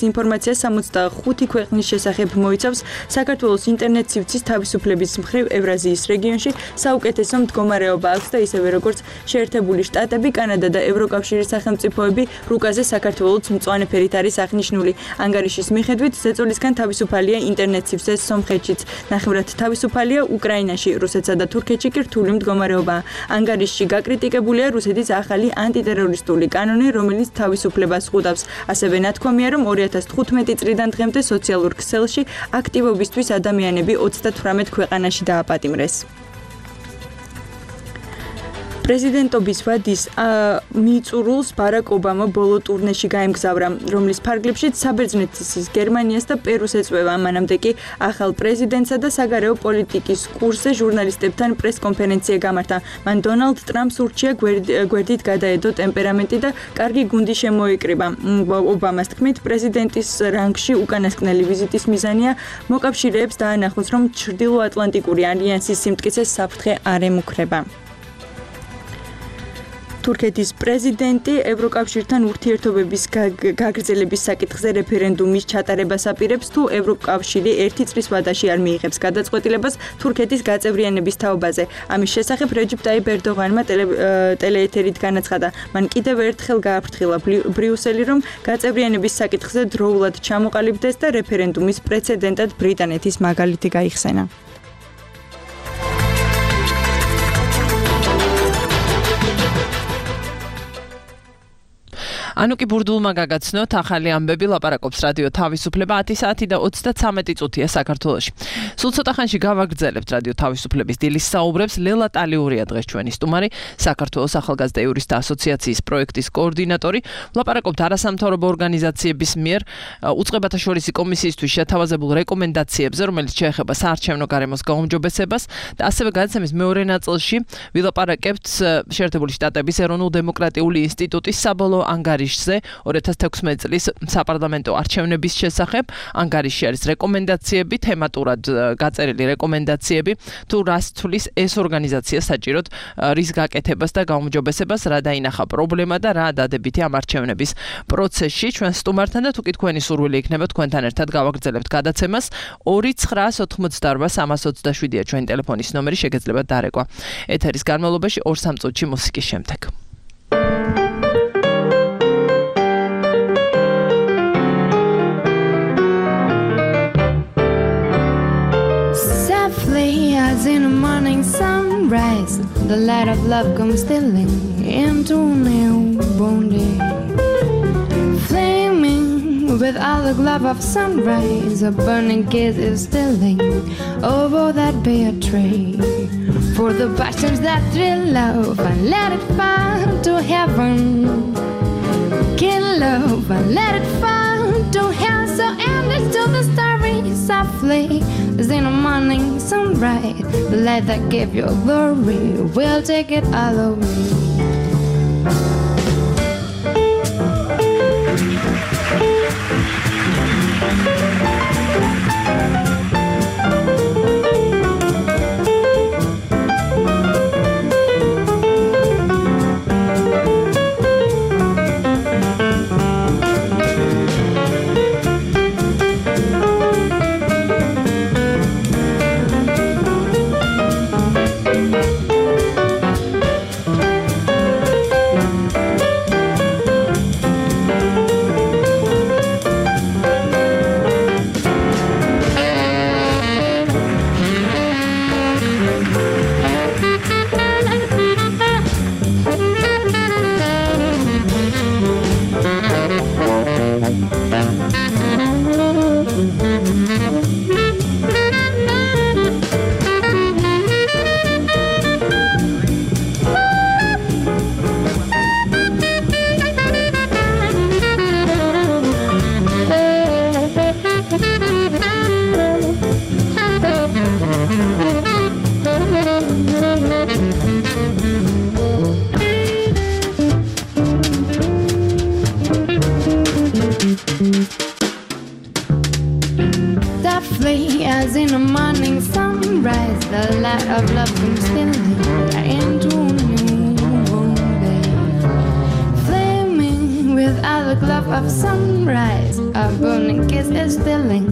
ინფორმაციას 65 ქვეყნის შესახებ მოიცავს, საქართველოს ინტერნეტ სივრცის თავისუფლების მხრივ ევრაზიის რეგიონში საუკეთესო მდგომარეობა აქვს და ისევე როგორც შეერთებული შტატები, კანადა და ევროკავშირის სახელმწიფოები რუკაზე საქართველოს მწვანე ფერით არის აღნიშნული. ანგარიშის მიხედვით, ზეწოლისგან თავისუფალია ინტერნეტ სივრცე სომხეთშიც, ნახევრად თავისუფალია უკრაინაში, რუსეთსა და თურქეთში კი რთული მდგომარეობაა. ანგარიშში გაკრიტიკებულია რუსეთის ახალი ანტიტერორისტული კანონი, რომელიც თავისუფლებას ხვდავს. ასევე ნათქვამია, რომ 2015 წლიდან დღემდე სოციალურ ქსელში აქტივობისთვის ადამიანები 38 ქვეყანაში დააპატიმრეს. პრეზიდენტობის ვადის მიწურულს ბარაკ ობამა ბოლო ტურნეში გაემგზავრა, რომლის ფარგლებშიც საბერძნეთის, გერმანიას და პერუს ეწვევა. მანამდე კი ახალ პრეზიდენტსა და საგარეო პოლიტიკის კურსზე ჟურნალისტებთან პრესკონფერენცია გამართა. მან დონალდ ტრამპს ურჩია გვერდით გადაედო ტემპერამენტი და კარგი გუნდი შემოიკრიბა. ობამას თქმით, პრეზიდენტის რანგში უკანასკნელი ვიზიტის მიზანია მოკავშირეებს დაანახოს, რომ ჩრდილოატლანტიკური ალიანსის სიმტკიცეს საფრთხე არ ემუქრება. თურქეთის პრეზიდენტი ევროკავშირთან ურთიერთობების გაგრძელების საკითხზე რეფერენდუმის ჩატარებას აპირებს, თუ ევროკავშირი 1 წლის ვადაში არ მიიღებს გადაწყვეტილებას თურქეთის გაწევრიანების თაობაზე. ამის შესახებ რეჯიპ ტაიპ ერდოღანმა ტელეეთერით განაცხადა. მან კიდევ ერთხელ გააფრთხილა ბრიუსელი, რომ გაწევრიანების საკითხზე დროულად ჩამოყალიბდეს და რეფერენდუმის პრეცედენტად ბრიტანეთის მაგალითი გაიხსენა. ანუ კი ბურდულმა გაგაცნოთ ახალი ამბები ლაპარაკობს რადიო თავისუფლება 10 საათი და 33 წუთია საქართველოში. სულ ცოტა ხანში გავაგრძელებთ რადიო თავისუფლების დილის საუბრებს. ლელა ტალიურია დღეს ჩვენი სტუმარი, საქართველოს ახალგაზრდა იურისტთა ასოციაციის პროექტის კოორდინატორი. ლაპარაკობთ არასამთავრობო ორგანიზაციების მიერ უწყებათა შორისი კომისიისთვის შეთავაზებულ რეკომენდაციებზე, რომელიც შეეხება საარჩევნო გარემოს გაუმჯობესებას და ასევე გადაცემის მეორე ნაწილში ვილაპარაკებთ შეერთებული შტატების ეროვნულ-დემოკრატიული ინსტიტუტის საბოლოო ანგარიშზე 2016 წლის საპარლამენტო არჩევნების შესახებ. ანგარიში არის რეკომენდაციები, თემატურად გაწერილი რეკომენდაციები, თუ რას თulis ეს ორგანიზაცია საჭიროდ რის გაკეთებას და გაუმჯობესებას, რა დაინახა პრობლემა და რა დადებითი ამ არჩევნების პროცესში. ჩვენ სტუმართან და თუ კი თქვენი სურვილი იქნება თქვენთან ერთად გავაგრძელებთ გადაცემას. 2988327-ია ჩვენი ტელეფონის ნომერი, შეგეძლებათ დარეკვა. ეთერის განმავლობაში 2-3 წუთში მუსიკის შემდეგ. As in a morning sunrise, the light of love comes stealing into a newborn day. Flaming with all the glove of sunrise, a burning kiss is stealing over that bare tray. For the passions that thrill love and let it fall to heaven. Kill love and let it fall to hell, so endless to the starry softly. As in a morning sunrise, the light that gave you glory will take it all away. As in a morning sunrise, the light of love comes stealing into a new day. Flaming with all the glove of sunrise, a burning kiss is stealing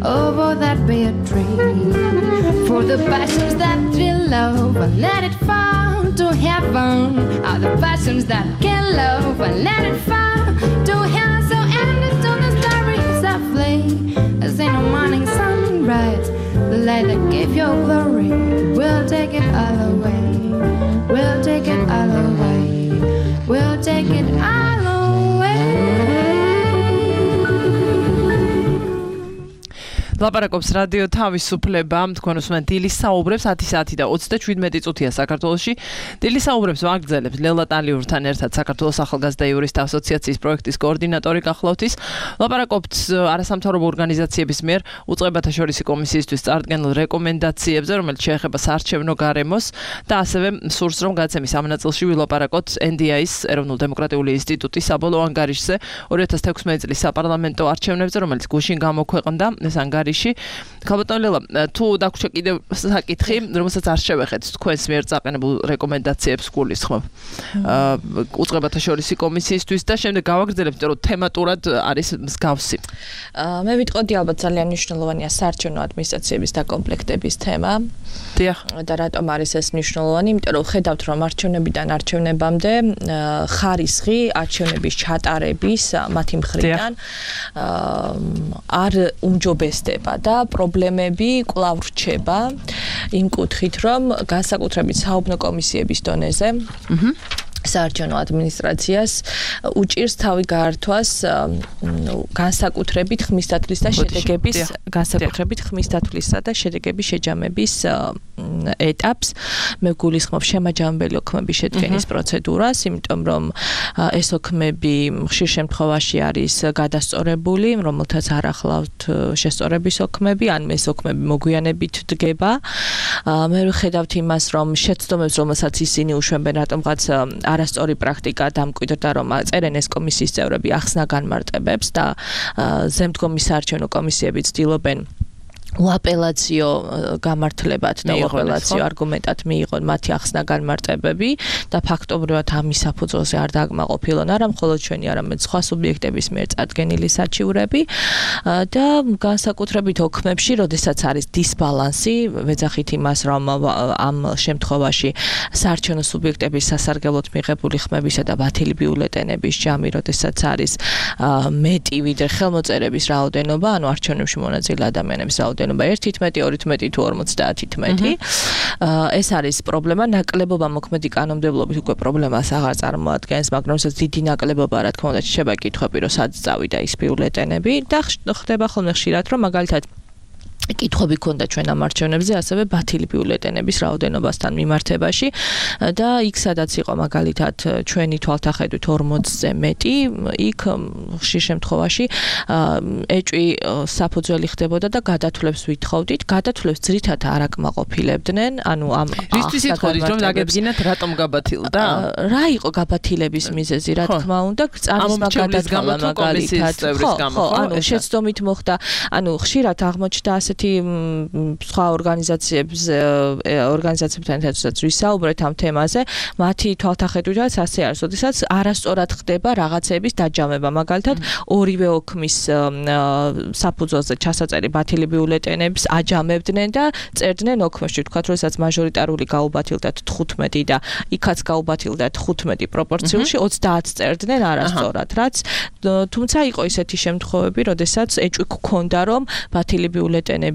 over that bare tree. For the passions that thrill love and let it fall to heaven, are the passions that kill love and let it fall to hell, so endless to the starry softly. As in a morning sunrise, the light that gave your glory will take it all away. We'll take it all away. We'll take it all away. ლაპარაკობს რადიო თავისუფლება, თქვენ უსმენთ დილის საუბრებს 10 საათი და 37 წუთია საქართველოში. დილის საუბრებს ვაგრძელებთ ლელა ტალიურთან ერთად, საქართველოს ახალგაზრდა იურისტთა ასოციაციის პროექტის კოორდინატორი გახლავთ ის. ლაპარაკობთ არასამთავრობო ორგანიზაციების მიერ უწყებათა შორისი კომისიისთვის წარდგენილ რეკომენდაციებზე, რომელიც შეეხება საარჩევნო გარემოს და ასევე სურს რომ გადაცემის ამ ნაწილში ვილაპარაკოთ NDI-ის ეროვნულ-დემოკრატიული ინსტიტუტის საბოლოო ანგარიშზე 2016 წლის საპარლამენტო არჩევნებზე, რომელიც გუშინ გამოქვეყნდა. ეს ანგარიში ქალბატონ ლელა, თუ დაგვრჩა კიდევ საკითხი, რომელსაც არ შევეხეთ, თქვენს მიერ წაყენებულ რეკომენდაციებს გულისხმობ. უწყებათა შორისი კომისიისთვის და შემდეგ გავაგრძელებთ, რომ თემატურად არის მსგავსი. მე ვიტყოდი ალბათ ძალიან მნიშვნელოვანია საარჩევნო ადმინისტრაციების დაკომპლექტების თემა. დიახ. და რატომ არის ეს მნიშვნელოვანი? იმიტომ რომ ხედავთ, რომ არჩევნებიდან არჩევნებამდე ხარისხი არჩევნების ჩატარების მათი მხრიდან არ უმჯობესდება და პრობლემები კვლავ რჩება იმ კუთხით, რომ განსაკუთრებით საუბნო კომისიების დონეზე საარჩევნო ადმინისტრაციას უჭირს თავი გაართვას განსაკუთრებით ხმისთათვლის და შედეგების განსაკუთრებით ხმისთათვლისა და შედეგების შეჯამების ეტაპს. მე გულისხმობ შემაჯამებელი ოქმების შედგენის პროცედურას, იმიტომ რომ ეს ოქმები ხშირ შემთხვევაში არის გადასწორებული, რომელთაც არ ახლავთ შესწორების ოქმები, ან ეს ოქმები მოგვიანებით დგება. მე ვხედავთ იმას, რომ შეცდომებს, რომელსაც ისინი უშვებენ, რატომღაც არასწორი პრაქტიკა დამკვიდრდა, რომ წერენ ეს კომისიის წევრები ახსნა განმარტებებს და ზემდგომი საარჩევნო კომისიები ცდილობენ უაპელაციო გამართლებად და უაპელაციო არგუმენტად მიიღონ მათი ახსნა განმარტებები და ფაქტობრივად ამის საფუძველზე არ დაგმაყოფილონ არა მხოლოდ ჩვენი, არამედ სხვა სუბიექტების მიერ წარდგენილი საჩივრები და განსაკუთრებით ოქმებში, როდესაც არის დისბალანსი, ვეძახით იმას, რომ ამ შემთხვევაში საარჩევნო სუბიექტების სასარგებლოდ მიღებული ხმებისა და ბათილი ბიულეტენების ჯამი, როდესაც არის მეტი ვიდრე ხელმოწერების რაოდენობა, ანუ არჩევნებში მონაწილე ადამიანების რაოდენობა 1:12, 2:12 თუ 50:12. ეს არის პრობლემა, ნაკლებობა მოქმედი კანონმდებლობით უკვე პრობლემას აღარ წარმოადგენს, მაგრამ როდესაც დიდი ნაკლებობა, რა თქმა უნდა, შეიძლება კითხვები, რომ სად წავიდა ის ბიულეტენები და ხდება ხოლმე ხშირად, რომ მაგალითად კითხვები ქონდა ჩვენ ამ არჩევნებზე, ასევე ბათილი ბიულეტენების რაოდენობასთან მიმართებაში და იქ სადაც იყო მაგალითად ჩვენი თვალთახედვით 40-ზე მეტი, იქ ხშირ შემთხვევაში ეჭვი საფუძველი ხდებოდა და გადათვლებს ვითხოვდით. გადათვლებს ძირითადად არ აკმაყოფილებდნენ, ანუ ამ რისთვის ითხოვდით, რომ დაგებგინათ, რატომ გაბათილდა? რა იყო გაბათილების მიზეზი, რა თქმა უნდა, წამის მაგადათვლა მაგალითად. ხო, ანუ შეცდომით მოხდა, ანუ ხშირად აღმოჩნდა ასეთი სხვა ორგანიზაციებთან ერთადაც ვისაუბრეთ ამ თემაზე, მათი თვალთახედვითაც ასე არის, როდესაც არასწორად ხდება რაღაცების დაჯამება, მაგალითად ორივე ოქმის საფუძველზე ჩასაწერი ბათილი ბიულეტენებს აჯამებდნენ და წერდნენ ოქმებში, თქვათ, როდესაც მაჟორიტარული გაუბათილდათ 15 და იქაც გაუბათილდათ 15 პროპორციულში 30 წერდნენ არასწორად, რაც თუმცა იყო ისეთი შემთხვევები, როდესაც ეჭვი გქონდა, რომ ბათილი ბიულეტენების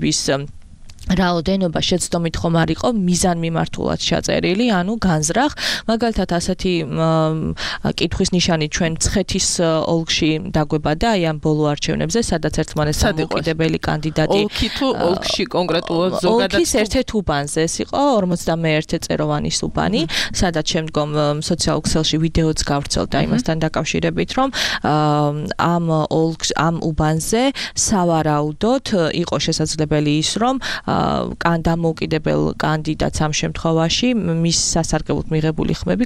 რაოდენობა შეცდომით ხომ არ იყო მიზანმიმართულად ჩაწერილი, ანუ განზრახ. მაგალითად ასეთი კითხვის ნიშანი ჩვენ მცხეთის ოლქში დაგვებადა, აი ამ ბოლო არჩევნებზე, სადაც ერთმანეთს დამოუკიდებელი კანდიდატი ოლქი თუ ოლქში კონკრეტულად ზოგადად ოლქის ერთ-ერთ უბანზე ეს იყო 51 წეროვანის უბანი, სადაც შემდგომ სოციალურ ქსელში ვიდეოც გავრცელდა იმასთან დაკავშირებით, რომ ამ უბანზე სავარაუდოდ იყო შესაძლებელი ის, რომ დამოუკიდებელ კანდიდატს ამ შემთხვევაში მის სასარგებლოდ მიღებული ხმები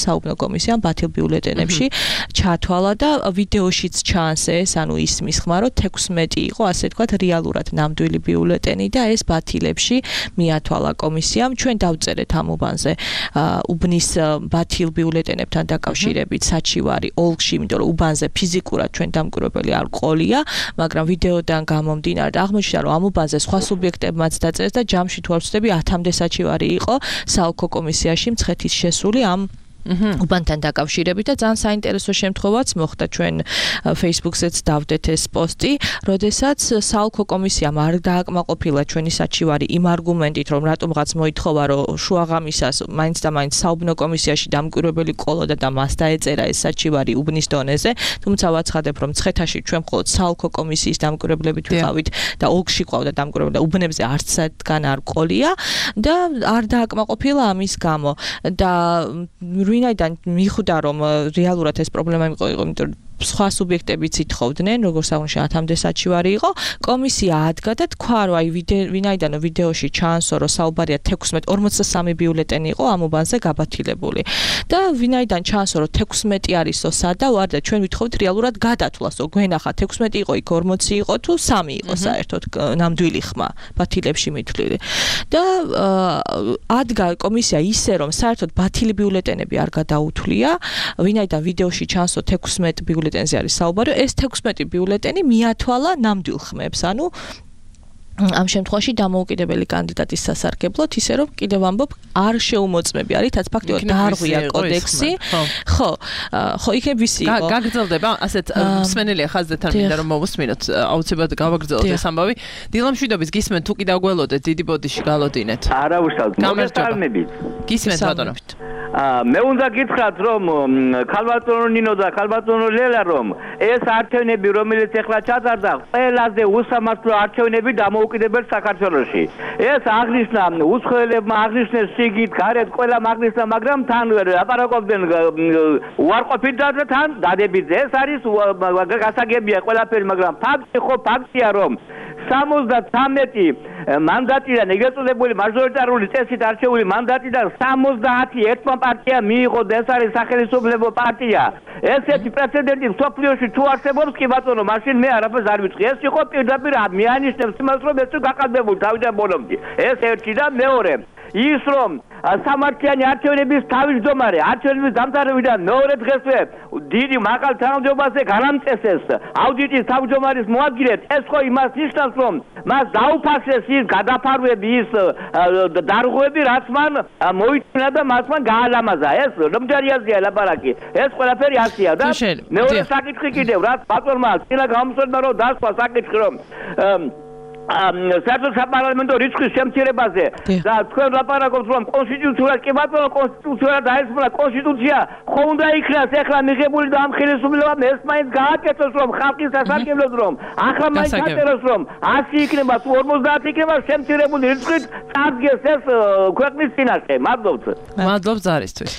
საუბნო კომისიამ ბათილ ბიულეტენებში ჩათვალა და ვიდეოშიც ჩანს ეს, ანუ ისმის ხმა, რომ 16 იყო, ასე თქვათ, რეალურად ნამდვილი ბიულეტენი და ეს ბათილებში მიათვალა კომისიამ. ჩვენ დავწერეთ ამ უბანზე უბნის ბათილ ბიულეტენებთან დაკავშირებით საჩივარი ოლქში, იმიტომ რომ უბანზე ფიზიკურად ჩვენ დამკვირვებელი არ ყოლია, მაგრამ ვიდეოდან გამომდინარე აღმოჩნდა, რომ ამ უბანზე სხვა სუბიექტებმაც დაწერეს და ჯამში თუ არ ვცდები 10-მდე საჩივარი იყო საოლქო კომისიაში მცხეთის შესული ამ უბანთან დაკავშირებით და ძალიან საინტერესო შემთხვევაც მოხდა. ჩვენ Facebook-ზეც დავდეთ ეს პოსტი, როდესაც საოლქო კომისიამ არ დააკმაყოფილა ჩვენი საჩივარი იმ არგუმენტით, რომ რატომღაც მოითხოვა, რომ შუაღამისას მაინც და მაინც საუბნო კომისიაში დამკვირვებელი ყოლოდა და მას დაეწერა ეს საჩივარი უბნის დონეზე, თუმცა ვაცხადებ, რომ მცხეთაში ჩვენ მხოლოდ საოლქო კომისიის დამკვირვებლებით ვიყავით და ოლქში ყავდა დამკვირვებელი, უბნებზე არც სადგან არ ყოლია და არ დააკმაყოფილა ამის გამო და ვინაიდან მიხვდა, რომ რეალურად ეს პრობლემა იყო, იმიტომ რომ სხვა სუბიექტებიც ითხოვდნენ, როგორც აღნიშნე 10-მდე საჩივარი იყო, კომისია ადგა და თქვა, რომ აი ვინაიდან ვიდეოში ჩანსო, რომ საუბარია 43 ბიულეტენი იყო ამ უბანზე გაბათილებული. და ვინაიდან ჩანსო, რომ 16 არისო სადა ვარ და ჩვენ ვითხოვთ რეალურად გადათვლასო, გვენახა 16 იყო, იქ 40 იყო თუ 3 იყო საერთოდ ნამდვილი ხმა ბათილებში მითვლილი. და ადგა კომისია ისე, რომ საერთოდ ბათილი ბიულეტენები არ გადაუთვლია, ვინაიდან ვიდეოში ჩანსო 16 ბიულეტენზე არის საუბარი, ეს 16 ბიულეტენი მიათვალა ნამდვილ ხმებს, ანუ ამ შემთხვევაში დამოუკიდებელი კანდიდატის სასარგებლოდ, ისე რომ კიდევ ამბობ, არ შეუმოწმები არის, რაც ფაქტობრივად დაარღვია კოდექსი. ხო, იქნებ ვისი იყო. გაგრძელდება, ასეთ მსმენელია ხაზდეთ არ მინდა რომ მოვუსმინოთ, აუცილებლად გავაგრძელოთ ეს ამბავი. დილამშვიდობის გისმენთ, თუ კი დაგველოდეთ, დიდი ბოდიში გალოდინეთ. არა უშავთ, მოგესალმებით. გისმენთ ბატონო. მე უნდა გითხრათ რომ ქალბატონო ნინო და ქალბატონო ლელა რომ ეს არჩევნები რომელიც ეხლა ჩატარდა ყველაზე უსამართლო არჩევნები დამოუკიდებელ საქართველოში ეს აღნიშნა უცხოელებმა აღნიშნეს სიგით გარეთ ყველა აღნიშნა მაგრამ თან აპარაკობდნენ უარყოფით და თან დადებით ეს არის გასაგებია ყველაფერი მაგრამ ფაქტია რომ 73 მანდატიდან ეგრეთ წოდებული მაჟორიტარული წესით არჩეული მანდატიდან 70 ერთმა პარტიამ მიიღო და ეს არის სახელმწიფო პარტია. ესეთი პრეცედენტი სოფლიოში თუ არსებობს კი ბატონო, მაშინ მე არაფერს არ ვიცი. ეს იყო პირდაპირ მიანიშნებს იმას რომ ეს გაკეთებული თავიდან ბოლომდე. ეს ერთი და მეორე ის რომ სამართლიანი არჩევნების თავმჯდომარე არჩევნების დამთავრებიდან მეორე დღესვე დიდი მაღალ თანამდებობაზე განამწესეს აუდიტის თავმჯდომარის მოადგილედ ეს ხო იმას ნიშნავს რომ მას დაუფასეს ის გადაფარვები ის დარღვევები რაც მან მოიწინა და მას მან გაალამაზა ეს რომჯერიაზეა ლაპარაკი ეს ყველაფერი ასია და მეორე საკითხი კიდევ რაც ბატონმა წინა გამოსვლება რომ დასვა საკითხი რომ საერთო საპარლამენტო რიცხვის შემცირებაზე და თქვენ ლაპარაკობთ რომ კონსტიტუციურად კი ბატონო კონსტიტუციურად დაესრულა კონსტიტუცია ხო უნდა იქნას ეხლა მიღებული და ამ ხელისუფლებამ ეს მაინც გააკეთოს რომ ხალხის სასარგებლოდ რომ ახლა მაინც გაწეროს რომ 100 იქნება თუ 50 იქნება შემცირებული რიცხვით წარდგეს ეს ქვეყნის წინაშე მადლობთ ზარისთვის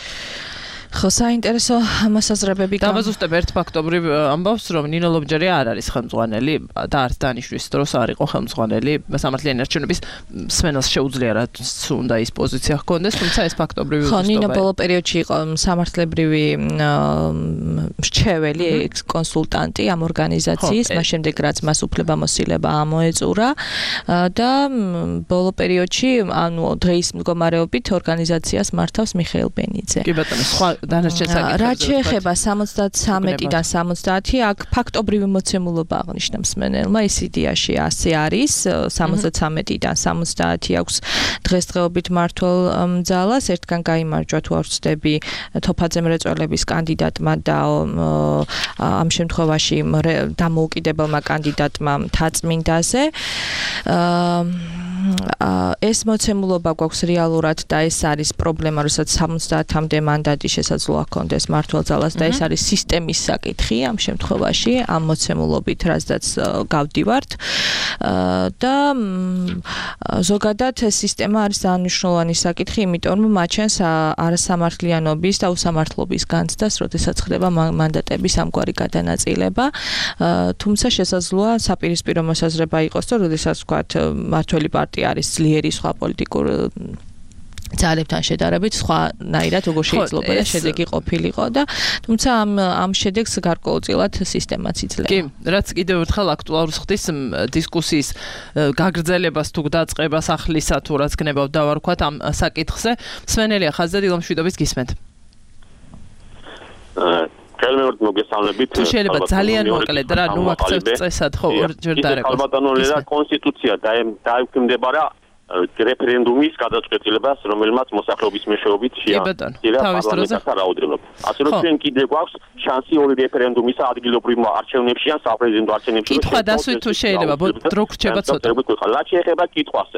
ხო საინტერესო მოსაზრებები დავაზუსტებ ერთ ფაქტობრივ ამბავს რომ ნინო ლობჯერი არ არის ხელმძღვანელი და არც დანიშნვის დროს არ იყო ხელმძღვანელი სამართლიანი არჩევნების სმენელს შეუძლია რაც უნდა ის პოზიცია ჰქონდეს თუმცა ეს ფაქტობრივი ხო ნინო ბოლო პერიოდში იყო სამართლებრივი მრჩეველი კონსულტანტი ამ ორგანიზაციის მას შემდეგ რაც მას უფლებამოსილება ამოეწურა და ბოლო პერიოდში ანუ დღის მდგომარეობით ორგანიზაციას მართავს მიხეილ ბენიძე კი ბატონო სხვა რაც შეეხება 73-დან 70 აქ ფაქტობრივი მოცემულობა აღნიშნავს მენელმა ის იდეაში ასე არის 73-დან 70 აქვს დღესდღეობით მართულ ძალას ერთგან გაიმარჯვა თუ არ ვცდები თოფაძე მრეწველების კანდიდატმა და ამ შემთხვევაში დამოუკიდებელმა კანდიდატმა მთაწმინდაზე ეს მოცემულობა გვაქვს რეალურად და ეს არის პრობლემა, როცა 70-მდე მანდატი შესაძლოა ჰქონდეს მართულ ძალას და ეს არის სისტემის საკითხი ამ შემთხვევაში, ამ მოცემულობით რაზედაც გავდივართ და ზოგადად ეს სისტემა არის მნიშვნელოვანი საკითხი, იმიტომ რომ მაჩვენს არასამართლიანობის და უსამართლობის განცდას, როდესაც ხდება მანდატების ამგვარი გადანაწილება, თუმცა შესაძლოა საპირისპირო მოსაზრება იყოს, რომ როდესაც ვთქვათ მართველი პარტია არის ძლიერი სხვა პოლიტიკურ ძალებთან შედარებით სხვანაირად როგორ შეიძლება და შედეგი ყოფილიყო და თუმცა ამ შედეგს გარკვეულწილად სისტემაც იძლევა. კი, რაც კიდევ ერთხელ აქტუალურს ხდის დისკუსიის გაგრძელებას თუ დაწყებას ახლისა თუ რაც გნებავ დავარქვათ ამ საკითხზე. მსმენელია ხაზზე დილომშვიდობის გისმენთ. ხელმეორედ მოგესალმებით. თუ შეიძლება ძალიან მოკლედ რა ნუ აქცევთ წესად ხო ორჯერ დარეკოს. ქალბატონო კონსტიტუცია დაექვემდებარა რეფერენდუმის გადაწყვეტილებას, რომელმაც მოსახლეობის მეშვეობით შეაჩერა პარლამენტთა რაოდენობა. ასე რომ ჩვენ კიდევ გვაქვს შანსი ორი რეფერენდუმისა ადგილობრივ არჩევნებში ან საპრეზიდენტო არჩევნებში. კითხვა დასვით თუ შეიძლება, დრო გრჩება ცოტა. რაც შეეხება კითხვას.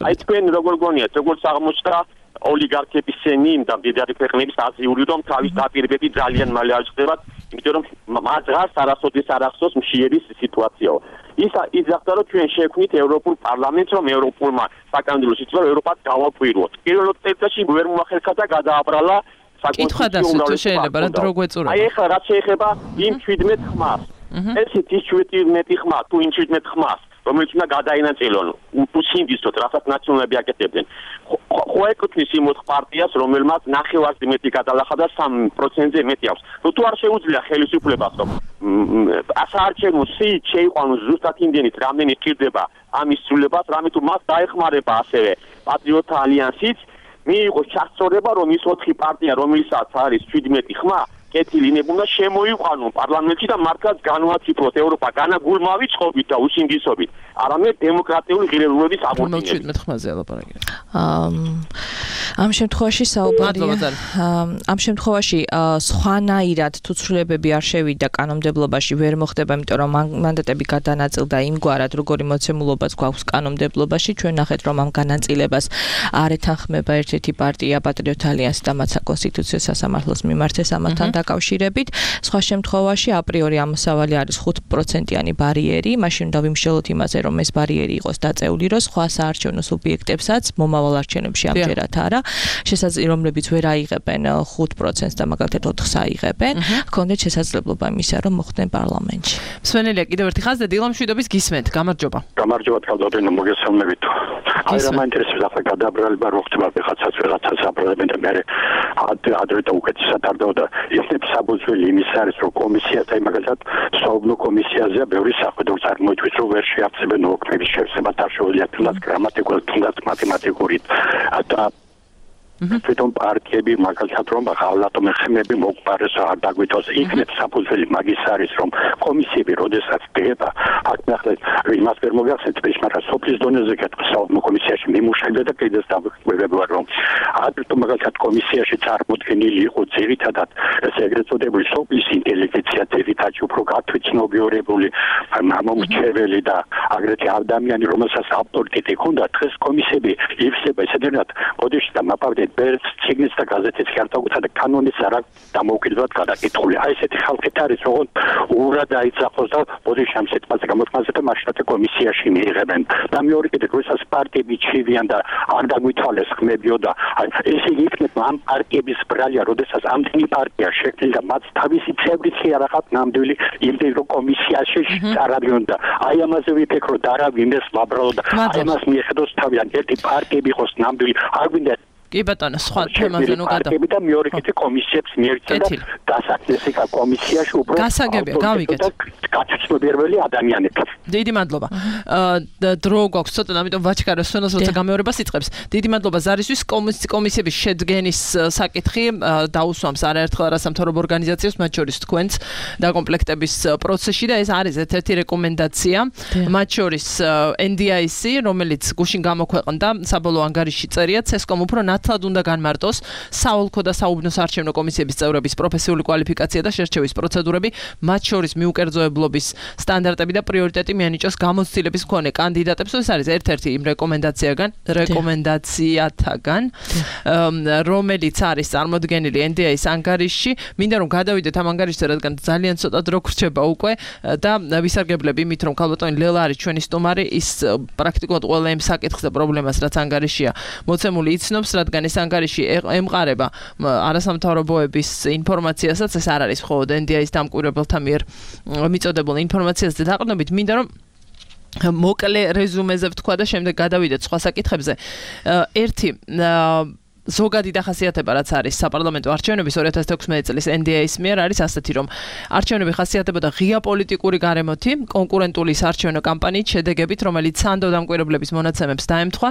აი თქვენ როგორ გონიათ, როგორც აღმოჩნდა ოლიგარქების სენი და მდიდარი ქვეყნების აზიური რომ თავის დაპირებები ძალიან მალე აღწევათ, იმიტომ რომ მაღარს არასოდეს არ ახსოვს მშიერის სიტუაციაო. ის იზახდა რომ ჩვენ შექმნით ევროპულ პარლამენტს, რომ ევროპულმა საკანონმდებლო სისტემამ ევროპას გავაკვირვოთ. პირველ წელიწადში ვერ მოახერხა და გადააბრალა საკითხვა დასვით თუ შეიძლება რა დრო გვეწურება. აი ახლა რაც შეეხება იმ 17 ხმას. ესეთი 17 ხმა თუ იმ 17 ხმას რომელიც უნდა გადაინაწილონ უსინდისოდ რასაც ნაციონალები აკეთებდნენ. ხო ეკუთვნის იმ 4 პარტიას, რომელმაც ნახევარზე მეტი გადალახა და 3%-ზე მეტი აქვს. თუ არ შეუძლია ხელისუფლებას, რომ ასაარჩევნო სიით შეიყვანოს ზუსტად იმდენით, რამდენი სჭირდება ამის სრულებას, რამე თუ მას დაეხმარება ასევე პატრიოტთა ალიანსიც, მიიღოს ჩასწორება, რომ ის 4 პარტია, რომელსაც არის 17 ხმა, კეთილინებულა შემოიყვანონ პარლამენტში და მართლაც განვაციფროთ ევროპა განაგულმავიწყობით და უსინდისობით, არამედ დემოკრატიული ღირებულებების აღორძინებით. 17 ხმაზე ლაპარაკია. ამ შემთხვევაში საუბარია ამ შემთხვევაში სხვანაირად თუ ცვლილებები არ შევიდა კანონმდებლობაში ვერ მოხდება, იმიტომ რომ მანდატები გადანაწილდა იმგვარად, როგორი მოცემულობაც გვაქვს კანონმდებლობაში, ჩვენ ნახეთ რომ ამ განაწილებას არ ეთანხმება ერთ-ერთი პარტია პატრიოტ ალიანსი და მათ საკონსტიტუციო სასამართლოს მიმართეს ამათთან დაკავშირებით. სხვა შემთხვევაში აპრიორი ამოსავალი არის 5%-იანი ბარიერი, მაშინ უნდა ვიმსჯელოთ იმაზე, რომ ეს ბარიერი იყოს დაწეული, რომ სხვა საარჩევნო სუბიექტებსაც მომავალ არჩევნებში ამჯერად არა, რომლებიც ვერ აიღებენ 5%-ს და მაგალითად 4%-ს აიღებენ, ჰქონდეთ შესაძლებლობა იმისა, რომ მოხვდნენ პარლამენტში. მსმენელია კიდევ ერთი ხაზი და დილამ შვიდობის გისმენთ. გამარჯობა. გამარჯობა თალდოდენო მოგესალმებით. აი რა მაინტერესებს ახლა გადაბრალება რო ხდება ვიღაცას აპრობებენ და მე ადრე და უკეთესად არ დავდა ისეთ საბუძველი იმის არის რომ კომისიათა მაგალითად საუბნო კომისიაზე ბევრი სახედრო წარმოითვის რომ ვერ შეაფასებენ ოქნების შევსება და შეუძლია თუნდაც გრამატიკულად თუნდაც მათემატიკურით და თვითონ პარტიები მაგალითად რომ ღალატო მეხემები მოგპარეს არ დაგვითოს იქნებ საფუძველი მაგის არის რომ კომისიები როდესაც დგება აქ ნახეთ იმას ვერ მოგახსენეთ მაგრამ სოფლის დონეზე საუბნო კომისიაში მიმუშავდა და კიდეც დავიკვირდება რომ აკრიტო მაგალითად კომისიაში წარმოდგენილი იყო ძირითადად ესე ეგრეთ წოდებული სოფლის ინტელიგენცია ძირითადად უფრო გათვითცნობიორებული მომრჩეველი და აგრეთვე ადამიანი რომელსაც ავტორიტეტი ჰქონდა დღეს კომისიები ივსება ესენად ოდეში და მაპავდე ბერც ციგნის და გაზეთის ხერხთა და კანონის არა დამოუკიდებლად გადაკითხული. აი ესეთი ხალხით არის როგორ ურად აიძახოს და ოდეში ამ სიტყვაზე გამოთქმაზე და მაშინაც კომისიაში მიიღებენ. და მეორე კიდევ როდესაც პარტიები ჩივიან და არ დაგვითვალეს ხმებიო და ესე იქნება ამ პარტიების ბრალია, როდესაც ამდენი პარტია შექმნილი და მათ თავისი წევრიც არ ახათ ნამდვილი იმდენ რომ კომისიაში არავინ და აი ამაზე ვიფიქრ რომ დარავინდეს ვაბრალო და აი ამას მიეხედოს თავიდან ერთი პარტიები იყოს ნამდვილი არ გვინდა კი ბატონო, სხვა თემაზე ნუ გადა. და მეორე კიდე კომისიებს მიერთდა და დასაქმესი კომისიაში უფრო გასაგებია, გავიგეთ. გაცნობიერებელი ადამიანები. დიდი მადლობა. დრო გვაქვს ცოტა, ამიტომ ვაჩქარო სვენოს როცა გამეორებას იწყებს. დიდი მადლობა ზარისთვის კომისიების შედგენის საკითხი დაუსვამს არაერთხელ არასამთავრობო ორგანიზაციებს, მათ შორის თქვენს დაკომპლექტების პროცესში და ეს არის ერთ-ერთი რეკომენდაცია. მათ შორის NDIC, რომელიც გუშინ გამოქვეყნდა საბოლოო ანგარიში წერია, CESCOM უფრო ნათლად უნდა განმარტოს საოლქო და საუბნო საარჩევნო კომისიების წევრების პროფესიული კვალიფიკაცია და შერჩევის პროცედურები, მათ შორის მიუკერძოებლობის სტანდარტები და პრიორიტეტი მიანიჭოს გამოცდილების მქონე კანდიდატებს. ეს არის ერთ-ერთი იმ რეკომენდაციათაგან, რომელიც არის წარმოდგენილი NDI-ის ანგარიშში. მინდა რომ გადავიდეთ ამ ანგარიშზე, რადგან ძალიან ცოტა დრო გრჩება უკვე და ვისარგებლებ იმით, რომ ქალბატონი ლელა არის ჩვენი სტუმარი, ის პრაქტიკულად ყველა იმ საკითხს და პრობლემას, რაც ანგარიშია მოცემული იცნობს, რადგან ეს ანგარიში ემყარება არასამთავრობოების ინფორმაციასაც, ეს არ არის მხოლოდ NDI-ის დამკვირვებელთა მიერ მიწოდებულ ინფორმაციას და დაყრდნობით მინდა რომ მოკლე რეზუმეზე ვთქვა და შემდეგ გადავიდეთ სხვა საკითხებზე. ერთი ზოგადი დახასიათება რაც არის საპარლამენტო არჩევნების 2016 წლის NDI-ის მიერ არის ასეთი რომ არჩევნები ხასიათდებოდა ღია პოლიტიკური გარემოთი, კონკურენტული საარჩევნო კამპანიით, შედეგებით, რომელიც სანდო დამკვირვებლების მონაცემებს დაემთხვა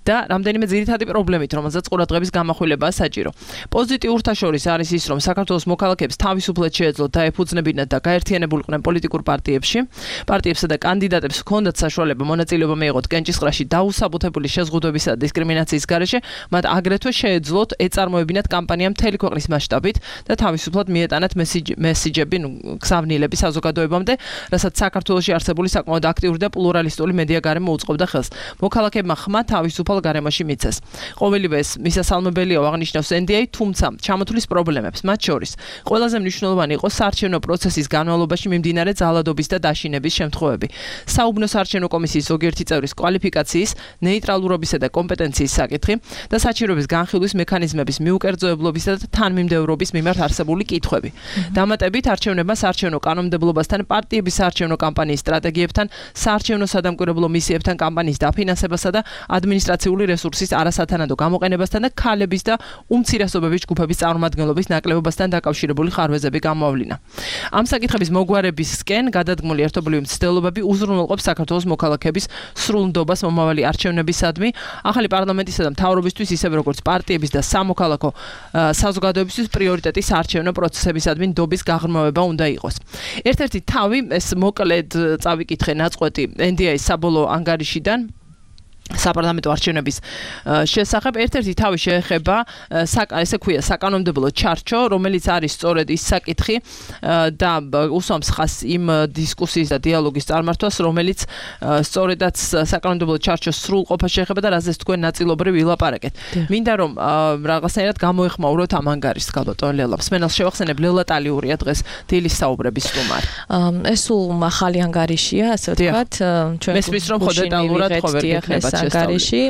და რამდენიმე ძირითადი პრობლემით, რომელზეც ყურადღების გამახვილებაა საჭირო. პოზიტიურთა შორის არის ის, რომ საქართველოს მოქალაქეებს თავისუფლად შეეძლოთ დაეფუძნებინათ და გაერთიანებულიყვნენ პოლიტიკურ პარტიებსა და კანდიდატებს ჰქონდათ საშუალება მონაწილეობა მიეღოთ კენჭისყრაში დაუსაბუთებული შეზღუდვებისა და დისკრიმინაციის გარეშე, მათ აგრეთვე შეეძლოთ ეწარმოებინათ კამპანია მთელი ქვეყნის მასშტაბით და თავისუფლად მიეტანათ მესიჯები გზავნილების საზოგადოებამდე, რასაც საქართველოში არსებული საკმაოდ აქტიური და პლურალისტური მედია გარემო უწყობდა ხელს. მოქალაქეებმა ხმა თავისუფალ გარემოში მიცეს. ყოველივე ეს მისასალმებელია აღნიშნავს NDI, თუმცა ჩამოთვლის პრობლემებს, მათ შორის ყველაზე მნიშვნელოვანი იყო საარჩევნო პროცესის განმავლობაში მიმდინარე ძალადობის და დაშინების შემთხვევები. საუბნო საარჩევნო კომისიის ზოგიერთი წევრის კვალიფიკაციის, ნეიტრალურობისა და კომპეტენციის საკითხი და საჩივრების განხილვის მექანიზმების მიუკერძოებლობისა და თანმიმდევრობის მიმართ არსებული კითხვები. დამატებით არჩევნებმა საარჩევნო კანონმდებლობასთან, პარტიების საარჩევნო კამპანიის სტრატეგიებთან, საარჩევნო სადამკვირვებლო მისიებთან, კამპანიის დაფინანსებასა და ადმინისტრაციული რესურსის არასათანადო გამოყენებასთან და ქალების და უმცირესობების ჯგუფების წარმომადგენლობის ნაკლებობასთან დაკავშირებული ხარვეზები გამოავლინა. ამ საკითხების მოგვარებისკენ გადადგმული ერთობლივი მცდელობები უზრუნველყოფს საქართველოს მოქალაქეების სრულ ნდობას მომავალი არჩევნებისადმი, ახალი პარლამენტისა და მთავრობისთვის, ისევე როგორც პარტიების და სამოქალაქო საზოგადოებისთვის პრიორიტეტი საარჩევნო პროცესებისადმი ნდობის გაღრმავება უნდა იყოს. ერთ-ერთი თავი ეს მოკლედ წავიკითხე ნაწყვეტი NDI-ის საბოლოო ანგარიშიდან საპარლამენტო არჩევნების შესახებ ერთ-ერთი თავი შეეხება ესე ქვია საკანონმდებლო ჩარჩო, რომელიც არის სწორედ ის საკითხი და უსვამს ხაზს იმ დისკუსიის და დიალოგის წარმართვას, რომელიც სწორედაც საკანონმდებლო ჩარჩოს სრულყოფას შეეხება და რაზეც თქვენ ნაწილობრივ ვილაპარაკეთ. მინდა რომ რაღაცნაირად გამოეხმაუროთ ამ ანგარიშს გალბატონ ლელა. მსმენელს შევახსენებ, ლელა ტალიურია დღეს დილის საუბრების სტუმარი. ეს სულ ახალი ანგარიშია, ასე ვთქვათ, ჩვენ მესმის რომ ხო დეტალურად ხო ვერ გექნებათ ანგარიში,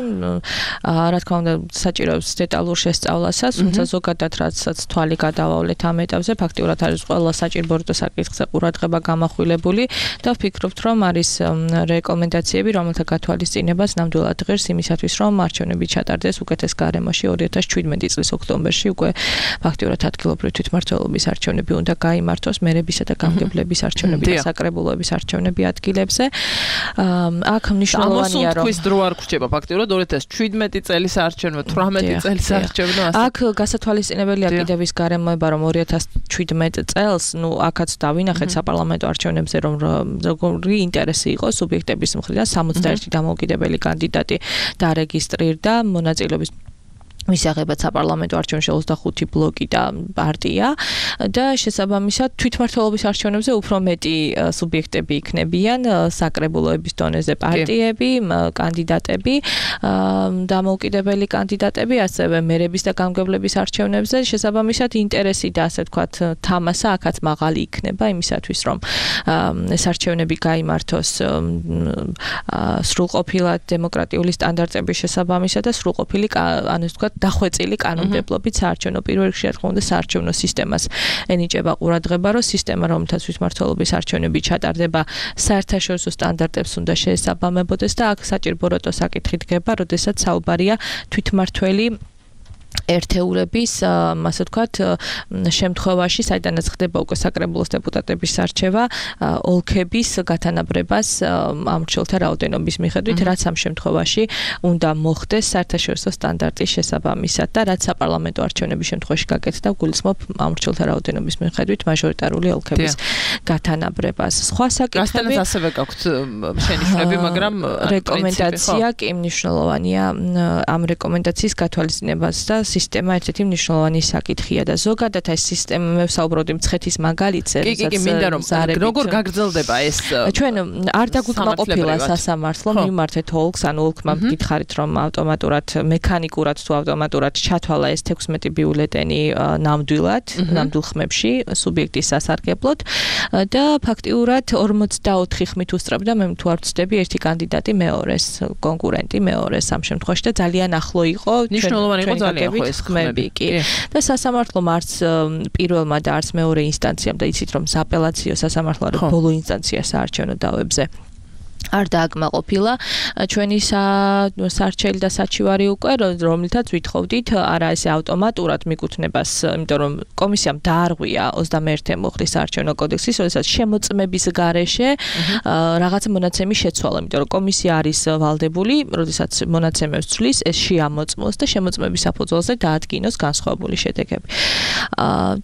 რა თქმა უნდა, საჭიროებს დეტალურ შესწავლასაც, თუმცა ზოგადად რასაც თვალი გადავავლეთ ამ ეტაპზე, ფაქტიურად არის ყველა საჭირო საკითხზე ყურადღება გამახვილებული და ვფიქრობთ, რომ არის რეკომენდაციები, რომელთა გათვალისწინებას ნამდვილად ღირს იმისათვის, რომ არჩევნები ჩატარდეს უკეთეს გარემოში 2017 წლის ოქტომბერში უკვე ფაქტიურად ადგილობრივი თვითმმართველობის არჩევნები უნდა გაიმართოს, მერებისა და გამგებლების არჩევნები და საკრებულოების არჩევნები ადგილებზე. აქ მნიშვნელოვანია, რომ დრო არ გრჩება ფაქტიურად 2017 წელის არჩევნო, 18 წელის არჩევნო. აქ გასათვალისწინებელია კიდევ ის გარემოება, რომ 2017 წელს, აქაც დავინახეთ საპარლამენტო არჩევნებზე, რომ როგორი ინტერესი იყო სუბიექტების მხრიდან 61 დამოუკიდებელი კანდიდატი დარეგისტრირდა მონაწილეობის მისაღებად საპარლამენტო არჩევნებში 25 ბლოკი და პარტია და შესაბამისად თვითმმართველობის არჩევნებზე უფრო მეტი სუბიექტები იქნებიან, საკრებულოების დონეზე პარტიები, კანდიდატები, დამოუკიდებელი კანდიდატები, ასევე მერების და გამგებლების არჩევნებზე შესაბამისად ინტერესი და ასე ვთქვათ თამასა აქაც მაღალი იქნება იმისათვის, რომ ეს არჩევნები გაიმართოს სრულყოფილად დემოკრატიული სტანდარტების შესაბამისად და სრულყოფილი, ანუ ვთქვათ დახვეწილი კანონმდებლობით საარჩევნო პირველ რიგში რა თქმა უნდა საარჩევნო სისტემას ენიჭება ყურადღება, რომ სისტემა, რომელთაც თვითმმართველობის არჩევნები ჩატარდება, საერთაშორისო სტანდარტებს უნდა შეესაბამებოდეს და აქ საჭირო საკითხი დგება, როდესაც საუბარია თვითმმართველი ერთეულების, ასე ვთქვათ, შემთხვევაში, საიდანაც ხდება უკვე საკრებულოს დეპუტატების არჩევა, ოლქების გათანაბრებას ამორჩეულთა რაოდენობის მიხედვით, რაც ამ შემთხვევაში უნდა მოხდეს საერთაშორისო სტანდარტის შესაბამისად და რაც საპარლამენტო არჩევნების შემთხვევაში გაკეთდა, გულისხმობ ამორჩეულთა რაოდენობის მიხედვით მაჟორიტარული ოლქების გათანაბრებას. სხვა საკითხები რასთანაც ასევე გაქვთ შენიშვნები, მაგრამ რეკომენდაცია კი მნიშვნელოვანია ამ რეკომენდაციის გათვალისწინებას და სისტემა ერთ-ერთი მნიშვნელოვანი საკითხია და ზოგადად ეს სისტემა მე ვსაუბრობდი მცხეთის მაგალითზე, კი, მინდა რომ როგორ გაგრძელდება ეს ჩვენ არ დაგვიკმაყოფილა სასამართლო მიმართეთ ოლქს, ანუ ოლქმა გითხარით რომ ავტომატურად მექანიკურად თუ ავტომატურად ჩათვალა ეს 16 ბიულეტენი ნამდვილ ხმებში სუბიექტის სასარგებლოდ და ფაქტიურად 44 ხმით უსწრებდა, მე თუ არ ვცდები, ერთი კანდიდატი მეორეს, კონკურენტი მეორეს ამ შემთხვევაში და ძალიან ახლო იყო, მნიშვნელოვანი იყო ძალიან ეს ხმები კი და სასამართლომ არც პირველმა და არც მეორე ინსტანციამ და იცით რომ აპელაციო სასამართლო არის ბოლო ინსტანცია საარჩევნო დავებზე არ დააკმაყოფილა ჩვენი სარჩელი და საჩივარი უკვე, რომლითაც ვითხოვდით არა ესე ავტომატურად მიკუთვნებას, იმიტომ რომ კომისიამ დაარღვია 21 მოხდის საარჩევნო კოდექსის, როდესაც შემოწმების გარეშე რაღაცა მონაცემი შეცვალა, იმიტომ რომ კომისია არის ვალდებული, როდესაც მონაცემებს ცვლის, ეს შეამოწმოს და შემოწმების საფუძველზე დაადგინოს განსხვავებული შედეგები.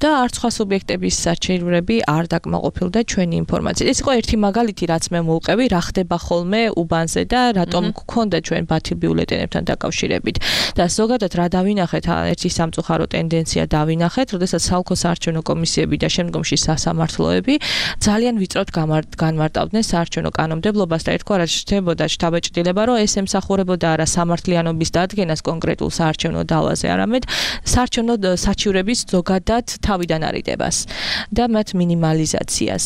და არც სხვა სუბიექტების საჩივრები არ დაკმაყოფილდა ჩვენი ინფორმაციით. ეს იყო ერთი მაგალითი, რაც მე მოვყევი, რა ხდება ხოლმე უბანზე და რატომ გქონდა ჩვენ ბათილ ბიულეტენებთან დაკავშირებით. და ზოგადად რა დავინახეთ, ერთი სამწუხარო ტენდენცია დავინახეთ, როდესაც საოლქო საარჩევნო კომისიები და შემდგომში სასამართლოები ძალიან ვიწროდ განმარტავდნენ საარჩევნო კანონმდებლობას და ერთგვარად შთებოდა შთაბეჭდილება, რომ ეს ემსახურებოდა არა სამართლიანობის დადგენას კონკრეტულ საარჩევნო დალაზე, არამედ საარჩევნო საჩივრების ზოგადად თავიდან არიდებას და მათ მინიმალიზაციას.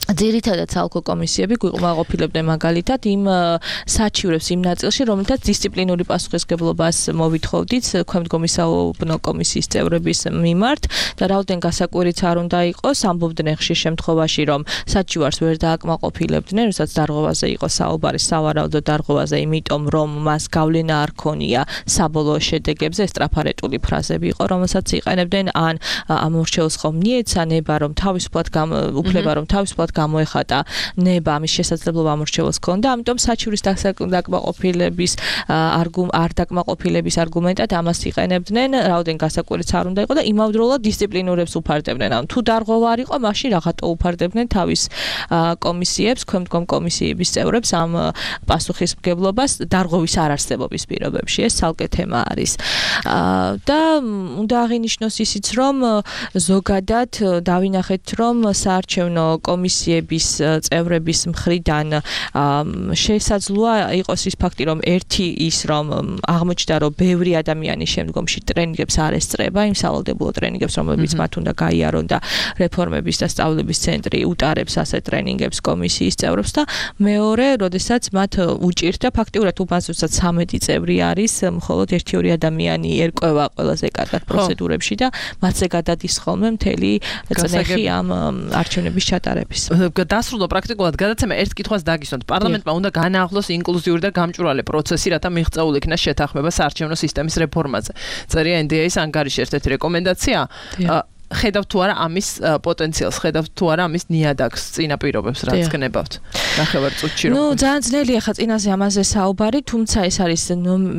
ძირითადად საოლქო კომისიები გვიყოფილებდნენ მაგალითად იმ საჩივრებს იმ ნაწილში, რომელთაც დისციპლინური პასუხისმგებლობას მოვითხოვდით ქვემდგომი საუბნო კომისიის წევრების მიმართ და რაოდენ გასაკვირიც არ უნდა იყოს, ამბობდნენ ხშირ შემთხვევაში, რომ საჩივარს ვერ დააკმაყოფილებდნენ, როდესაც დარღვევაზე იყო საუბარი, სავარაუდო დარღვევაზე, იმიტომ რომ მას გავლენა არ ქონია საბოლოო შედეგებზე, ეს ტრაფარეტული ფრაზები იყო, რომელსაც იყენებდნენ ან ამორჩეულს ხომ მიეცანება, რომ თავისუფლად უფლება რომ თავისუფლად ნამდვილად გამოეხატა ნება ამის შესაძლებლობა ამორჩევლს ჰქონდა, ამიტომ საჩივრის დაკმაყოფილების არ დაკმაყოფილების არგუმენტად ამას იყენებდნენ, რაოდენ გასაკვირიც არ უნდა იყო და იმავდროულად დისციპლინურებს უფარდებდნენ. ან თუ დარღვევა არ იყო, მაშინ რაღაცა უფარდებდნენ თავის კომისიებს, ქვემდგომ კომისიების წევრებს ამ პასუხისმგებლობას დარღვევის არარსებობის პირობებში. ეს ცალკე თემა არის. და უნდა აღინიშნოს ისიც, რომ ზოგადად დავინახეთ, რომ საარჩევნო კომისიების წევრების მხრიდან შესაძლოა იყოს ის ფაქტი, რომ ერთი ის რომ აღმოჩნდა, რომ ბევრი ადამიანი შემდგომში ტრენინგებს არ ესწრება, იმ სავალდებულო ტრენინგებს, რომლებიც მათ უნდა გაიარონ და რეფორმების და სწავლების ცენტრი უტარებს ასეთ ტრენინგებს კომისიის წევრებს და მეორე, როდესაც მათ უჭირთ და ფაქტიურად უმასწორად 13 წევრი არის, მხოლოდ 1-2 ადამიანი ერკვევა ყველაზე კარგად პროცედურებში და მათზე გადადის ხოლმე მთელი წნეხი ამ არჩევნების ჩატარების. დასრულდა პრაქტიკულად გადაცემა ერთ კითხვას დაგისვათ. პარლამენტმა უნდა განაახლოს ინკლუზიური და გამჭვირვალე პროცესი, რათა მიღწეულ იქნა შეთანხმება საარჩევნო სისტემის რეფორმაზე. წერია NDA-ის ანგარიში ერთ-ერთი რეკომენდაცია. ხედავთ თუ არა ამის პოტენციალს, ხედავთ თუ არა ამის ნიადაგს, წინაპირობებს, რაც გნებავთ. ნახევარ წუთში რომ. ძალიან ძნელია ხა წინაზე ამაზე საუბარი, თუმცა ეს არის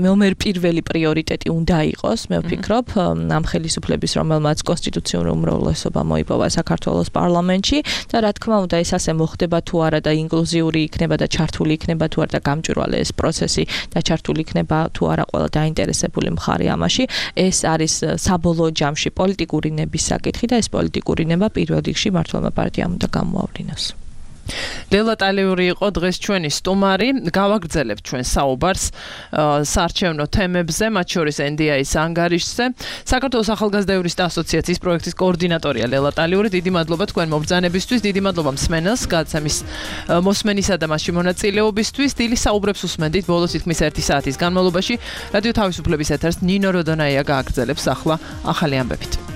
ნომერ პირველი პრიორიტეტი უნდა იყოს, მე ვფიქრობ, ამ ხელისუფლების, რომელმაც კონსტიტუციური უმრავლესობა მოიპოვა საქართველოს პარლამენტში და რა თქმა უნდა ეს ასე მოხდება თუ არა და ინკლუზიური იქნება და ჩართული იქნება თუ არა და გამჭვირვალე ეს პროცესი და ჩართული იქნება თუ არა ყველა დაინტერესებული მხარე ამაში, ეს არის საბოლოო ჯამში პოლიტიკური ნების საკითხი და ეს პოლიტიკური ნება პირველ რიგში მართლმა პარტიამ უნდა გამოავლინოს. ლელა ტალიური იყო დღეს ჩვენი სტუმარი. გავაგრძელებთ ჩვენ საუბარს საარჩევნო თემებზე, მათ შორის NDA-ის ანგარიშზე. საქართველოს ახალგაზრდა იურისტთა ასოციაციის პროექტის კოორდინატორია ლელა ტალიური. დიდი მადლობა თქვენ მობრძანებისთვის, დიდი მადლობა მსმენელს, გადაცემის მოსმენისა და მასში მონაწილეობისთვის. დილის საუბრებს უსმენდით ბოლოს თითქმის 1 საათის განმავლობაში. რადიო თავისუფლების ეთერს ნინო როდონაია გააგრძელებს ახლა ახალი ამბებით.